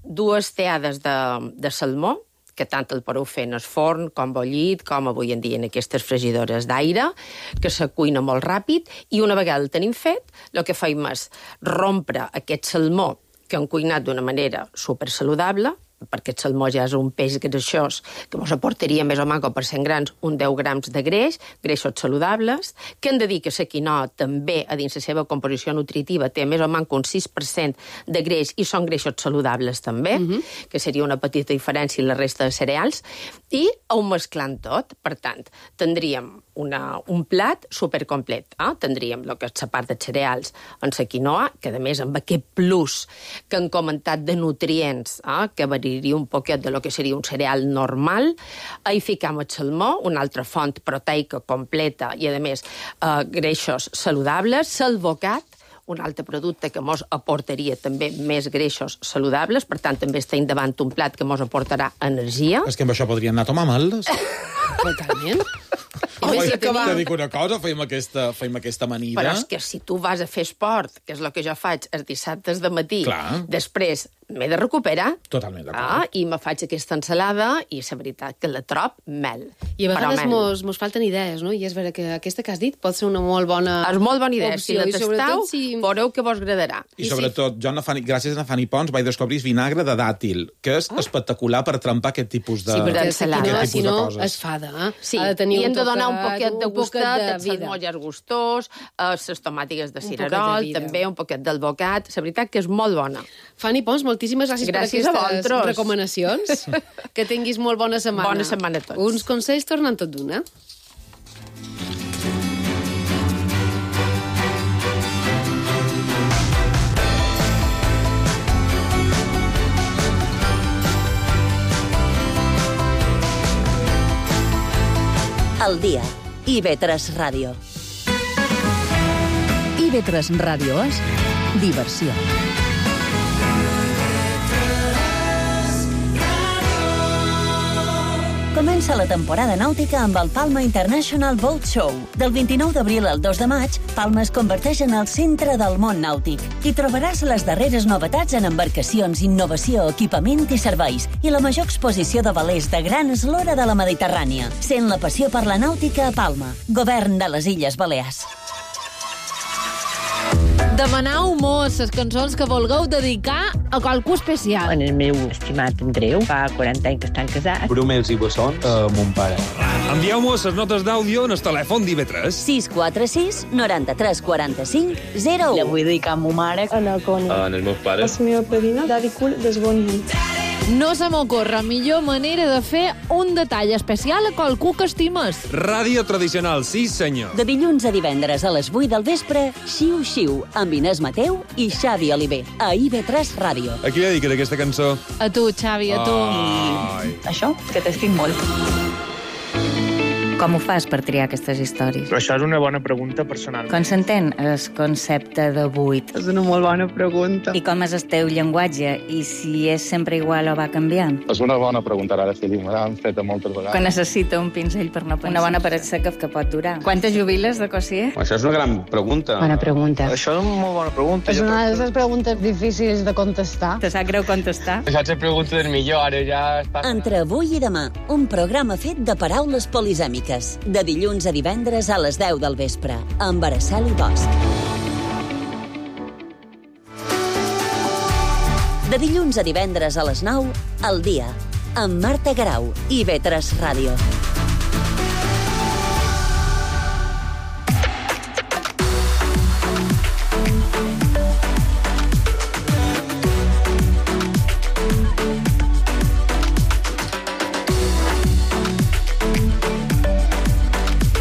2 teades de salmó, que tant el podeu fer en el forn, com bullit, com avui en dia en aquestes fregidores d'aire, que se cuina molt ràpid, i una vegada el tenim fet, el que fem és rompre aquest salmó que han cuinat d'una manera supersaludable, perquè el salmó ja és un peix greixós que ens aportaria més o menys per 100 grams un 10 grams de greixos saludables, que hem de dir que la quinoa també, a dins la seva composició nutritiva, té més o menys un 6% de greix i són greixos saludables també, que seria una petita diferència en la resta de cereals, i ho mesclant tot. Per tant, tindríem un plat supercomplet. Tindríem el que és la part de cereals en la quinoa, que a més amb aquest plus que han comentat de nutrients, que variaria un poquet de lo que seria un cereal normal. Hi ficam el salmó, una altra font proteica completa i, a més, greixos saludables, l'alvocat, un altre producte que mos aportaria també més greixos saludables, per tant, també estem davant un plat que mos aportarà energia. És que amb això podríem anar a tomar amaldes. Totalment. Te dic una cosa, fem aquesta amanida. Però és que si tu vas a fer esport, que és el que jo faig els dissabtes de matí, després m'he de recuperar. Totalment d'acord. I me faig aquesta ensalada i la veritat que la trob mel. I a vegades mos falten idees, no? I és vera que aquesta que has dit pot ser una molt bona opció. És molt bona idea. Opció. Si la tasteu, veureu que vos agradarà. I sobretot, jo, gràcies a Fanny Pons, vaig descobrir vinagre de dàtil, que és espectacular per trempar aquest tipus de coses. Sí, perquè si no es fada. Sí, i hem de donar un poquet de gustet, els salmolles gustós, les tomàtiques de cirerol, també un poquet d'alvocat. La veritat que és molt bona. Fanny Pons, moltíssimes gràcies per aquestes recomanacions. Que tinguis molt bona setmana. Bona setmana a tots. Uns consells tornen tot d'una. El dia. IB3 Ràdio. IB3 Ràdio és diversió. Comença la temporada nàutica amb el Palma International Boat Show. Del 29 d'abril al 2 de maig, Palma es converteix en el centre del món nàutic. Hi trobaràs les darreres novetats en embarcacions, innovació, equipament i serveis, i la major exposició de velers de gran eslora de la Mediterrània. Sent la passió per la nàutica a Palma. Govern de les Illes Balears. Demaneu-mos les cançons que vulgueu dedicar a qualcú especial. En el meu estimat Andreu, fa 40 anys que estan casats. Bromels i bessons a mon pare. Envieu-nos les notes d'àudio en el telèfon d'IV3. 646 93 45 01. La vull dedicar a ma mare. En els meus pares. La meva padrina, Daddy Cool, des bon nit. No se m'ocorre millor manera de fer un detall especial a qualcú que estimes. Ràdio tradicional, sí senyor. De dilluns a divendres a les 8 del vespre, Xiu Xiu, amb Inés Mateu i Xavi Oliver, a IB3 Ràdio. A qui dediques aquesta cançó? A tu, Xavi, a tu. I això, que t'estic molt. Com ho fas per triar aquestes històries? Però això és una bona pregunta personal. Com s'entén el concepte de buit? És una molt bona pregunta. I com és el teu llenguatge? I si és sempre igual o va canviant? És una bona pregunta, ara sí, me l'han feta moltes vegades. Que necessita un pinzell per no pensar. Una bona paret seca que pot durar. Quantes jubiles de Cossier? Això és una gran pregunta. Bona pregunta. Això és una molt bona pregunta. És una de les preguntes difícils de contestar. Te sap greu contestar? Això és pregunta del millor, ara ja... Entre avui i demà, un programa fet de paraules polisèmiques. De dilluns a divendres a les 10 del vespre, amb Araceli Bosch. De dilluns a divendres a les 9, El dia, amb Marta Garau, IB3 Ràdio.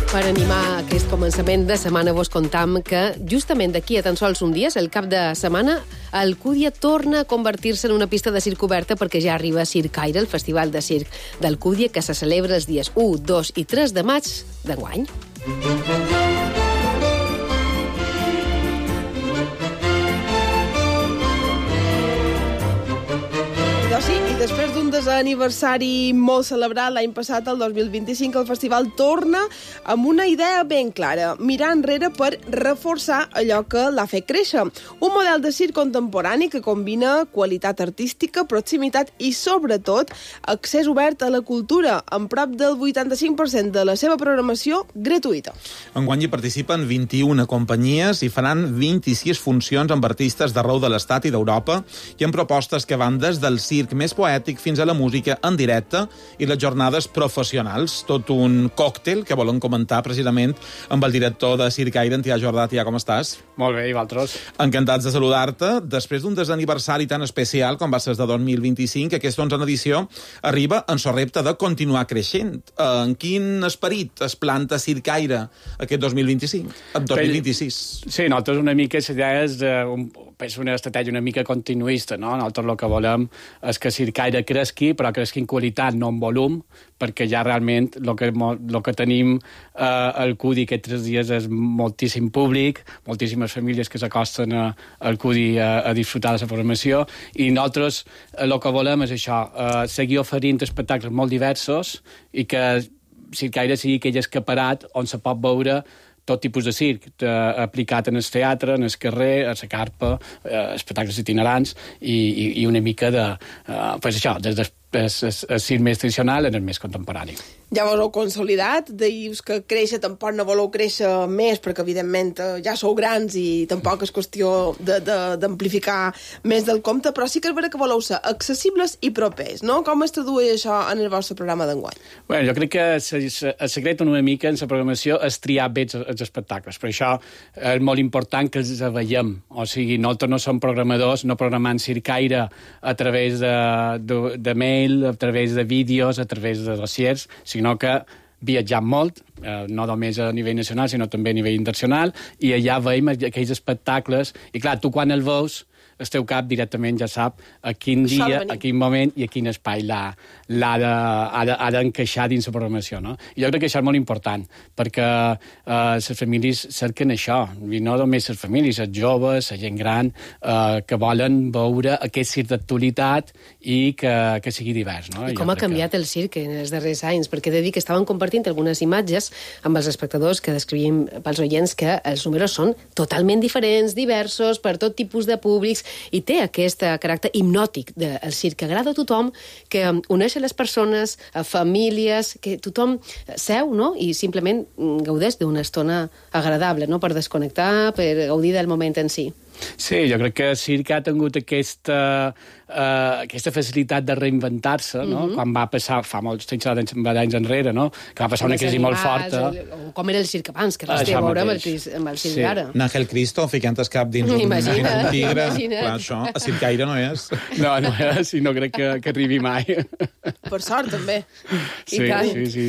Per animar aquest aquest començament de setmana vos contam que justament d'aquí a tan sols un dia, el cap de setmana, Alcúdia torna a convertir-se en una pista de circ oberta perquè ja arriba a Circaire, el festival de circ d'Alcúdia, que se celebra els dies 1, 2 i 3 de maig d'enguany. Sí, i després d'un desaniversari molt celebrat l'any passat, el 2025, el festival torna amb una idea ben clara, mirar enrere per reforçar allò que l'ha fet créixer. Un model de circ contemporani que combina qualitat artística, proximitat i, sobretot, accés obert a la cultura, amb prop del 85% de la seva programació gratuïta. Enguany hi participen 21 companyies i faran 26 funcions amb artistes d'arreu de l'Estat i d'Europa i amb propostes que van des del circ més poètic fins a la música en directe i les jornades professionals. Tot un còctel que volen comentar precisament amb el director de Circaire, Tià Jordà. Tià, com estàs? Molt bé, i vosaltres? Encantats de saludar-te. Després d'un desaniversari tan especial com va ser de 2025, aquesta 11a edició arriba en so repte de continuar creixent. En quin esperit es planta Circaire aquest 2025? 2026? Sí, nosaltres una mica la idea és una estratègia una mica continuista, no? Nosaltres el que volem és que Circaire cresqui, però cresqui en qualitat, no en volum, perquè ja realment el que tenim al CUDI aquests 3 dies és moltíssim públic, moltíssimes famílies que s'acosten al CUDI a disfrutar de la programació, i nosaltres el que volem és això, seguir oferint espectacles molt diversos i que Circaire sigui aquell escaparat on se pot veure tot tipus de circ, aplicat en el teatre, en el carrer, a la carpa, espectacles itinerants i una mica de... Pues això, des del circ més tradicional en el més contemporani. Ja vos heu consolidat, dius que créixer tampoc no voleu créixer més, perquè evidentment ja sou grans i tampoc és qüestió d'amplificar més del compte, però sí que és vera que voleu ser accessibles i propers, no? Com es tradueix això en el vostre programa d'enguany? Bueno, jo crec que el secret una mica en la programació és triar bé els espectacles, per això és molt important que els veiem, o sigui, nosaltres no som programadors, no programant Circaire a través de mail, a través de vídeos, a través de dossiers, sinó que viatjam molt, no només a nivell nacional, sinó també a nivell internacional, i allà veiem aquells espectacles, i clar, tu quan el veus, el teu cap directament ja sap a quin dia, a quin moment i a quin espai ha d'encaixar dins la programació, no? I jo crec que això és molt important, perquè les famílies cerquen això, i no només les famílies, els joves, la gent gran, que volen veure aquest circ d'actualitat i que sigui divers, no? I com ha canviat el circ en els darrers anys, perquè he de dir que estaven compartint algunes imatges amb els espectadors que descrivim pels oients que els números són totalment diferents, diversos, per tot tipus de públics, i té aquest caràcter hipnòtic del circ que agrada a tothom, que uneix a les persones, a famílies, que tothom seu, no?, i simplement gaudeix d'una estona agradable, no?, per desconnectar, per gaudir del moment en si. Sí, jo crec que el circ ha tingut aquesta facilitat de reinventar-se, no? Quan va passar, fa molts anys enrere, no? Que va passar una crisi molt forta. Com era el circ abans, que res té a veure amb el circ d'ara. N'Àngel Cristo ficant el cap dins un tigre. Clar, això a Circaire no és. No és, i no crec que arribi mai. Per sort, també. Sí,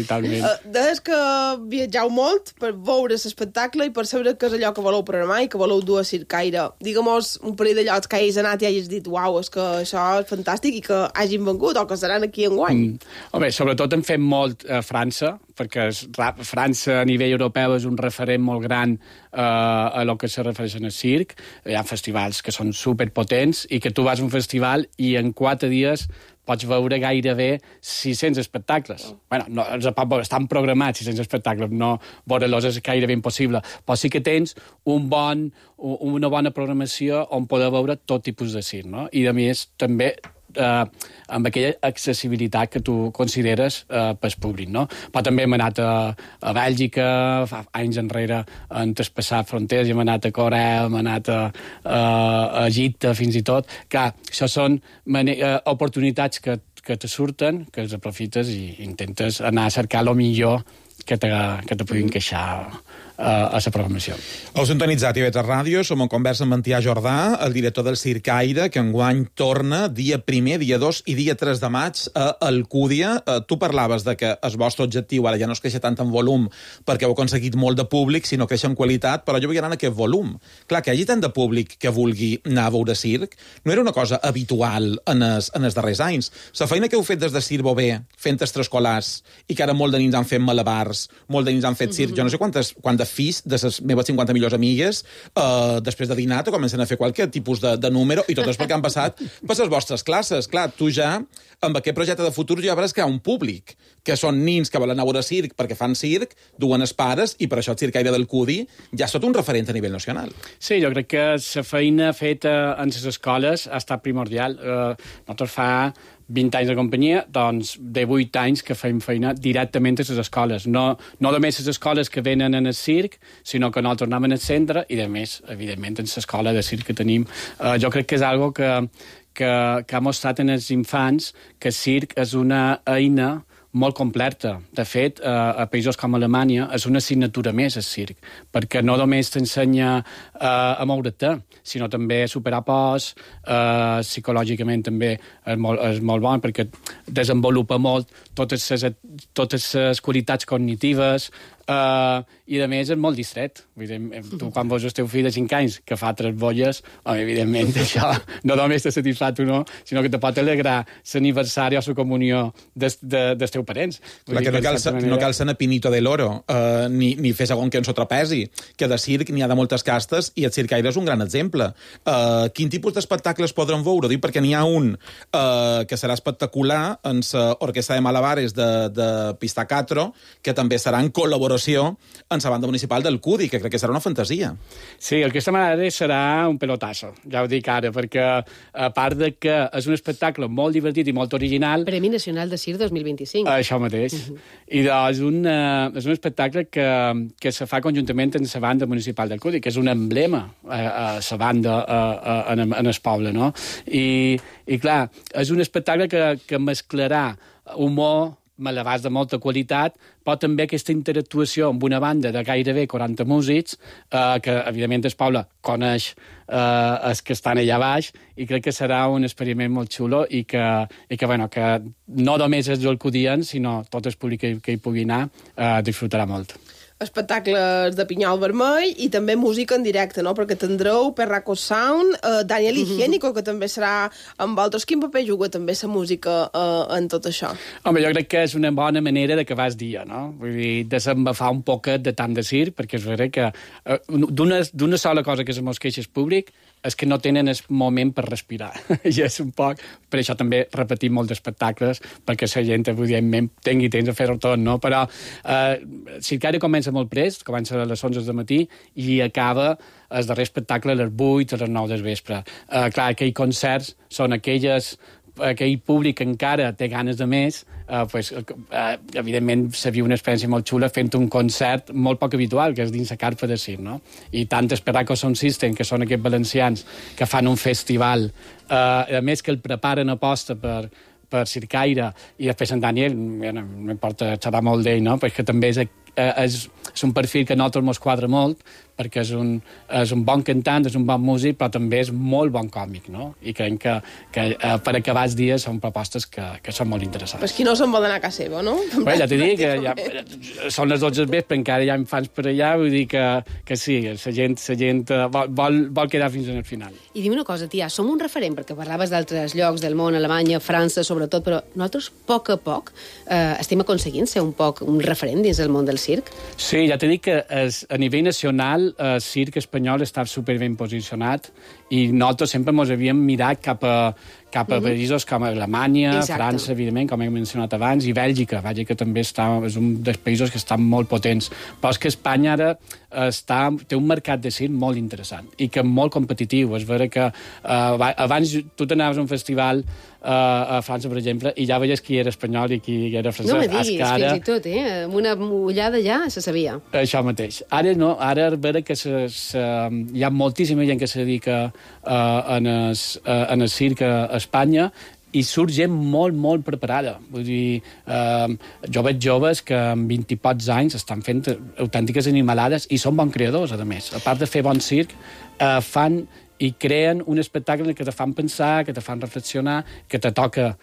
talment. Des que viatjau molt per veure l'espectacle i per saber què és allò que voleu programar i que voleu dur a Circaire. Digue'm-nos un parell de llocs que hagis anat i hagis dit uau, és que això és fantàstic i que hagin vengut o que seran aquí enguany. Home, sobretot en fem molt a França, perquè França a nivell europeu és un referent molt gran a lo que se refereix al circ. Hi ha festivals que són superpotents i que tu vas a un festival i en 4 dies pots veure gairebé 600 espectacles. Bueno, no, estan programats 600 espectacles, no veure-los és gairebé impossible, però sí que tens una bona programació on poder veure tot tipus de circ, no? I a més també amb aquella accessibilitat que tu consideres pel públic, no? Però també hem anat a Bèlgica, fa anys enrere hem traspassat fronteres, hem anat a Corea, hem anat a Egipte, fins i tot. Clar, això són oportunitats que te surten, que els aprofites i intentes anar a cercar el millor que te puguin queixar a la programació. Heu sintonitzat TV3 Ràdio, som en conversa amb Antià Jordà, el director del Circaire, que enguany torna dia 1, dia 2 i dia 3 de maig a Alcúdia. Tu parlaves de que el vostre objectiu ara ja no és créixer tant en volum perquè heu aconseguit molt de públic, sinó créixer en qualitat, però jo vull anar en aquest volum. Clar, que hi hagi tant de públic que vulgui anar a veure circ no era una cosa habitual en els darrers anys. La feina que heu fet des de Circ Bové, fent extraescolars, i que ara molt de nins han fet malabars, molt de nins han fet circ, jo no sé quantes fills de les meves 50 millors amigues, després de dinar, te comencen a fer qualque tipus de número, i tot és perquè han passat per les vostres classes. Clar, tu ja, amb aquest projecte de futur, ja veuràs que hi ha un públic, que són nins que volen anar a veure circ perquè fan circ, duen els pares, i per això el Circaire d'Alcúdia ja és tot un referent a nivell nacional. Sí, jo crec que la feina feta en les escoles ha estat primordial. Nosaltres fa 20 anys de companyia, doncs de 8 anys que fem feina directament a les escoles. No només les escoles que venen en el circ, sinó que nosaltres anem al centre i, a més, evidentment, en l'escola de circ que tenim. Jo crec que és algo que ha mostrat en els infants que el circ és una eina molt completa. De fet, a països com Alemanya és una assignatura més, el circ, perquè no només t'ensenya a moure't, sinó també a superar pors, psicològicament també és molt bon, perquè desenvolupa molt totes les qualitats cognitives, i, a més, és molt distret. Tu, quan veus el teu fill de 5 anys que fa 3 bolles, evidentment, això no només te satisfà tu, no, sinó que te pot alegrar l'aniversari o la comunió dels teus parents. Clar, que no cal ser pinito de l'oro, ni fer segon que en sotrapesi, que de circ n'hi ha de moltes castes, i el Circaire és un gran exemple. Quin tipus d'espectacles podrem veure? Dic, perquè n'hi ha un que serà espectacular en l'Orquestra de Malabares de Pistacatro, que també serà en col·laboració en la banda municipal d'Alcúdia, que crec que serà una fantasia. Sí, aquesta Malabares serà un pelotasso, ja ho dic ara, perquè a part de que és un espectacle molt divertit i molt original... Premi Nacional de Circ 2025. Això mateix. I doncs és un espectacle que se fa conjuntament amb la banda municipal d'Alcúdia, que és un emblema a la banda en el poble, no? I clar, és un espectacle que mesclarà humor, malabars de molta qualitat, però també aquesta interactuació amb una banda de gairebé 40 músics, que, evidentment, el poble coneix els que estan allà baix, i crec que serà un experiment molt xulo i que no només els alcudians, sinó tot el públic que hi pugui anar, disfrutarà molt. Espectacles de pinyol vermell i també música en directe, no? Perquè tindreu Perraco Sound, Daniel Higiénico, que també serà amb altres. Quin paper juga també la música en tot això? Home, jo crec que és una bona manera d'acabar el dia, no? Vull dir, desembafar un poquet de tant de circ, perquè és vera que d'una sola cosa que se mos queixa el públic és que no tenen el moment per respirar. I és un poc... Per això també repetim molts espectacles, perquè la gent, evidentment, tingui temps de fer-ho tot, no? Però Circaire comença molt prest, comença a les 11 del matí i acaba el darrer espectacle a les 8, a les 9 del vespre. Clar, aquells concerts són aquell públic que encara té ganes de més, evidentment se viu una experiència molt xula fent un concert molt poc habitual, que és dins la carpa de circ, no? I tant el Perraco Sound System, que són aquests valencians que fan un festival, a més que el preparen a posta per Circaire, i després en Daniel, no m'importa xerrar molt d'ell, no? Perquè també és un perfil que a nosaltres mos quadra molt, perquè és un bon cantant, és un bon músic, però també és molt bon còmic, no? I crec que per acabar els dies són propostes que són molt interessants. Però qui no se'n vol anar a casa seva, no? Bé, ja t'he dit que són les 12 del vespre, encara hi ha infants per allà, vull dir que sí, la gent vol quedar fins al final. I dime una cosa, tia, som un referent, perquè parlaves d'altres llocs del món, Alemanya, França, sobretot, però nosaltres, a poc, estem aconseguint ser un poc un referent dins el món del circ? Sí, ja t'he dit que a nivell nacional el circ espanyol està superben posicionat i nosaltres sempre ens havíem mirat cap a països com Alemanya, França, evidentment, com he mencionat abans, i Bèlgica. Bèlgica també és un dels països que estan molt potents. Però és que Espanya ara té un mercat de circ molt interessant i que molt competitiu. És vera que abans tu t'anaves a un festival a França, per exemple, i ja veies qui era espanyol i qui era francès. No me diguis, fins i tot, amb una ullada ja se sabia. Això mateix. Ara no, ara és vera que hi ha moltíssima gent que se dedica en el circ a Espanya, i surt gent molt, molt preparada. Vull dir, jo veig joves que amb 20 i pocs anys estan fent autèntiques animalades i són bons creadors, a més. A part de fer bon circ, fan i creen un espectacle que te fan pensar, que te fan reflexionar, que te toca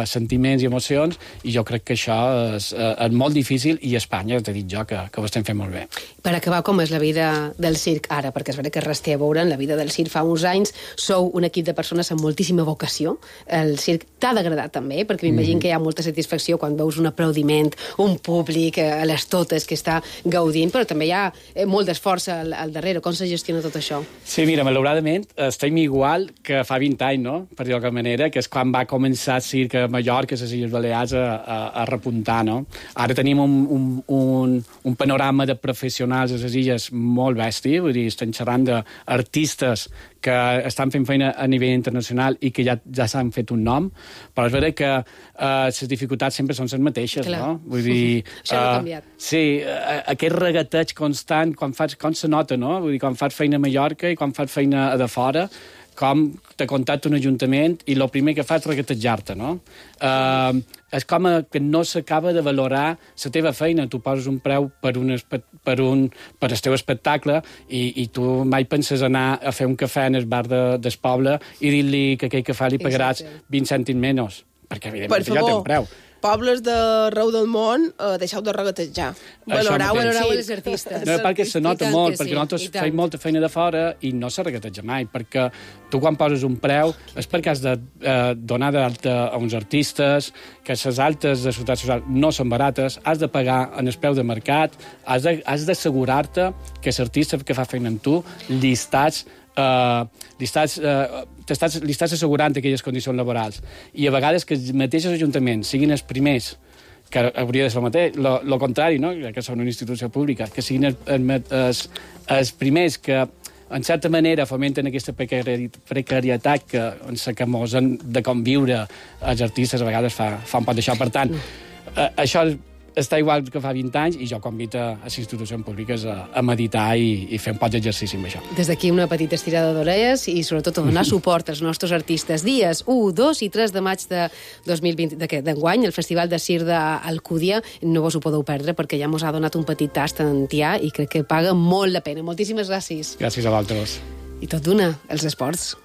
sentiments i emocions, i jo crec que això és molt difícil, i a Espanya, t'he dit jo, que ho estem fent molt bé. Per acabar, com és la vida del circ ara? Perquè és veritat que res té a veure en la vida del circ fa uns anys. Sou un equip de persones amb moltíssima vocació. El circ t'ha d'agradar també, perquè m'imagino que hi ha molta satisfacció quan veus un aplaudiment, un públic a les totes que està gaudint, però també hi ha molt d'esforç al darrere. Com se gestiona tot això? Sí, mira, malauradament estem igual que fa 20 anys, no? Per dir-ho d'alguna manera, que és quan va començar el circ a Mallorca, a les Illes Balears, a repuntar, no? Ara tenim un panorama de professionals a les illes molt bèstia, vull dir, estem xerrant d'artistes que estan fent feina a nivell internacional i que ja s'han fet un nom, però és veritat que les dificultats sempre són les mateixes, clar, no? Vull dir... Això no ha canviat. Sí, aquest regateig constant, com se nota, no? Vull dir, quan fas feina a Mallorca i quan fas feina a de fora, com te contacta un ajuntament i el primer que fa és regatejar-te, no? És com que no s'acaba de valorar la teva feina. Tu poses un preu per el teu espectacle i tu mai penses anar a fer un cafè en el bar del poble i dir-li que aquell cafè li pagaràs 20 cèntims menys, perquè evidentment ja té un preu. Pobles d'arreu del món, deixeu de regatejar. Valorau els artistes. No, perquè se nota molt, perquè nosaltres fem molta feina de fora i no se regateja mai, perquè tu quan poses un preu és perquè has de donar d'alta a uns artistes, que les altes de ciutat social no són barates, has de pagar en el preu de mercat, has d'assegurar-te que l'artista que fa feina amb tu li estàs assegurant aquelles condicions laborals. I a vegades que els mateixos ajuntaments siguin els primers, que hauria de ser el contrari, no? Que són una institució pública, que siguin els primers que en certa manera fomenten aquesta precarietat que mos han de conviure els artistes, a vegades fa un pot d'això. Per tant, això està igual que fa 20 anys i jo convido a les institucions públiques a meditar i fer un poc d'exercici amb això. Des d'aquí una petita estirada d'orelles i sobretot a donar suport als nostres artistes. Dies 1, 2 i 3 de maig de 2020 d'enguany, el Festival de Circ d'Alcúdia. No vos ho podeu perdre perquè ja mos ha donat un petit tast en Tià i crec que paga molt la pena. Moltíssimes gràcies. Gràcies a vosaltres. I tot d'una, els esports.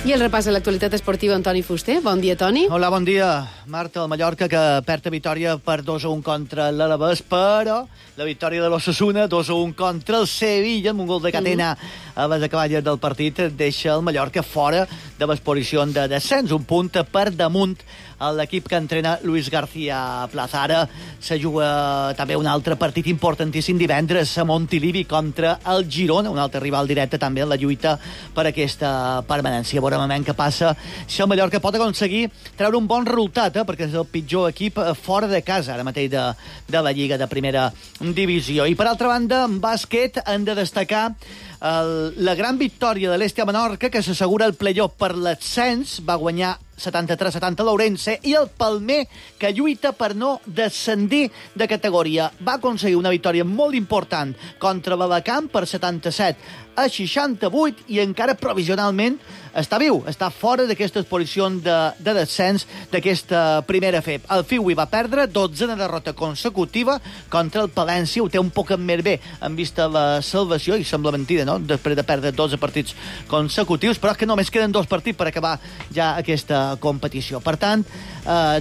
I el repàs de l'actualitat esportiva amb Toni Fuster. Bon dia, Toni. Hola, bon dia. Marta, el Mallorca, que perd a vitòria per 2-1 contra l'Alavés, però la victòria de l'Osasuna, 2-1 contra el Sevilla, amb un gol de Catena a les acaballes del partit, deixa el Mallorca fora de les posicions de descens, un punt per damunt a l'equip que entrena Luis García Plaza. Ara se juga també un altre partit importantíssim divendres a Montilivi contra el Girona, un altre rival directe també en la lluita per aquesta permanència. Veurem què passa si el Mallorca pot aconseguir treure un bon resultat, perquè és el pitjor equip fora de casa ara mateix de la Lliga de Primera Divisió. I per altra banda, en bàsquet hem de destacar la gran victòria de l'Estia Menorca, que s'assegura el playoff per l'ascens, va guanyar 73-70 l'Ourense, i el Palmer, que lluita per no descendir de categoria. Va aconseguir una victòria molt important contra l'Alacant per 77-68 i encara provisionalment està viu, està fora d'aquestes posicions de descens d'aquesta primera FEP. El Fiui va perdre 12 derrota consecutiva contra el Palència, ho té un poc més bé en vista la salvació, i sembla mentida, no?, després de perdre 12 partits consecutius, però és que només queden 2 partits per acabar ja aquesta competició. Per tant,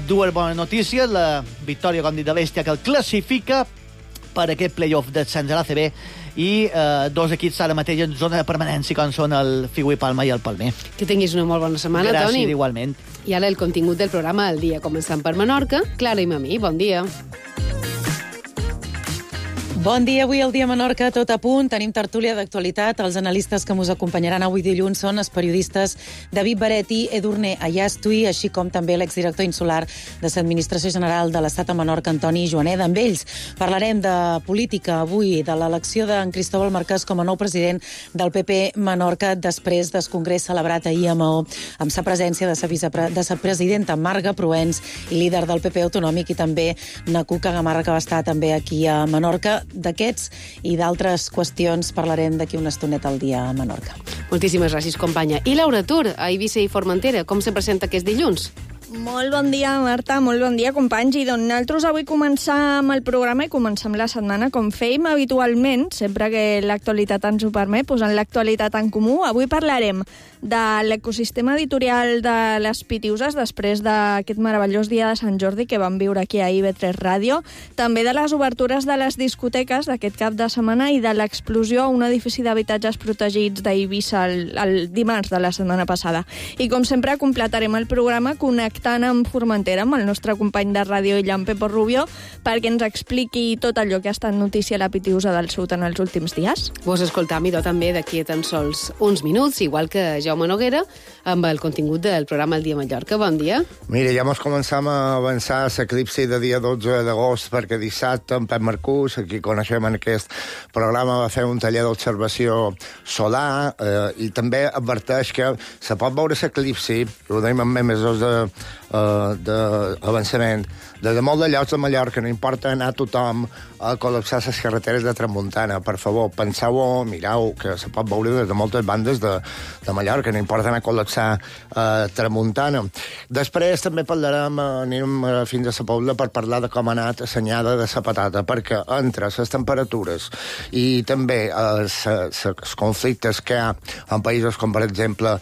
dues bones notícies, la victòria, com dit, de l'Estia, que el classifica per aquest playoff d'ascens a l'ACB, i 2 equips ara mateix en zona de permanència, com són el Fiui Palma i el Palmer. Que tinguis una molt bona setmana, Toni. Gràcies, igualment. I ara el contingut del programa del dia, començant per Menorca. Clara i Mamí, bon dia. Bon dia, avui al Dia Menorca, tot a punt. Tenim tertúlia d'actualitat. Els analistes que mos acompanyaran avui dilluns són els periodistes David Baretti, Edurne Ayastui, així com també l'exdirector insular de l'Administració General de l'Estat a Menorca, Antoni Joaneda. Amb ells parlarem de política avui, de l'elecció d'en Cristóbal Marquès com a nou president del PP Menorca després del congrés celebrat ahir a Maó, amb la presència de la presidenta Marga Proens i líder del PP autonòmic, i també na Cuca Gamarra, que va estar també aquí a Menorca. D'aquests i d'altres qüestions parlarem d'aquí una estoneta al dia a Menorca. Moltíssimes gràcies, companya. I Laura Tur, a Eivissa i Formentera, com se presenta aquest dilluns? Molt bon dia, Marta, molt bon dia, companys. I doncs nosaltres avui començam el programa i començam la setmana com fèiem habitualment, sempre que l'actualitat ens ho permet, posant l'actualitat en comú. Avui parlarem de l'ecosistema editorial de les Pitiuses després d'aquest meravellós dia de Sant Jordi que vam viure aquí a IB3 Ràdio, també de les obertures de les discoteques d'aquest cap de setmana i de l'explosió a un edifici d'habitatges protegits d'Eivissa el dimarts de la setmana passada. I com sempre completarem el programa connectant amb Formentera, amb el nostre company de ràdio Illan Pepo Rubio, perquè ens expliqui tot allò que ha estat notícia a la Pitiusa del Sud en els últims dies. Vos escoltam, idò, també d'aquí a tan sols uns minuts, igual que Jaume Noguera, amb el contingut del programa El Dia Mallorca. Bon dia. Mira, ja mos començam a avançar a l'eclipsi de dia 12 d'agost, perquè dissabte en Pep Marcús, aquí coneixem en aquest programa, va fer un taller d'observació solar i també adverteix que se pot veure l'eclipsi, ho deim amb mesos d'avançament, des de molt de llocs de Mallorca. No importa anar tothom a col·lapsar les carreteres de Tramuntana. Per favor, penseu-ho, mireu, que se pot veure des de moltes bandes de Mallorca. No importa anar a col·lapsar Tramuntana. Després també parlarem, anem fins a la Pobla per parlar de com ha anat assenyada de la patata, perquè entre les temperatures i també els conflictes que hi ha en països com, per exemple,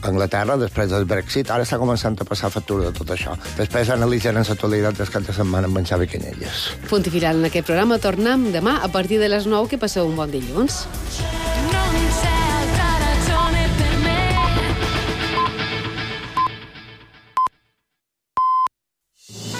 Anglaterra, després del Brexit, ara està començant a passar factura de tot això. Després analitzarem l'actualitat del cap de setmana amb en Xavi Canyelles. Punt i final en aquest programa. Tornem demà a partir de les 9. Que passeu un bon dilluns.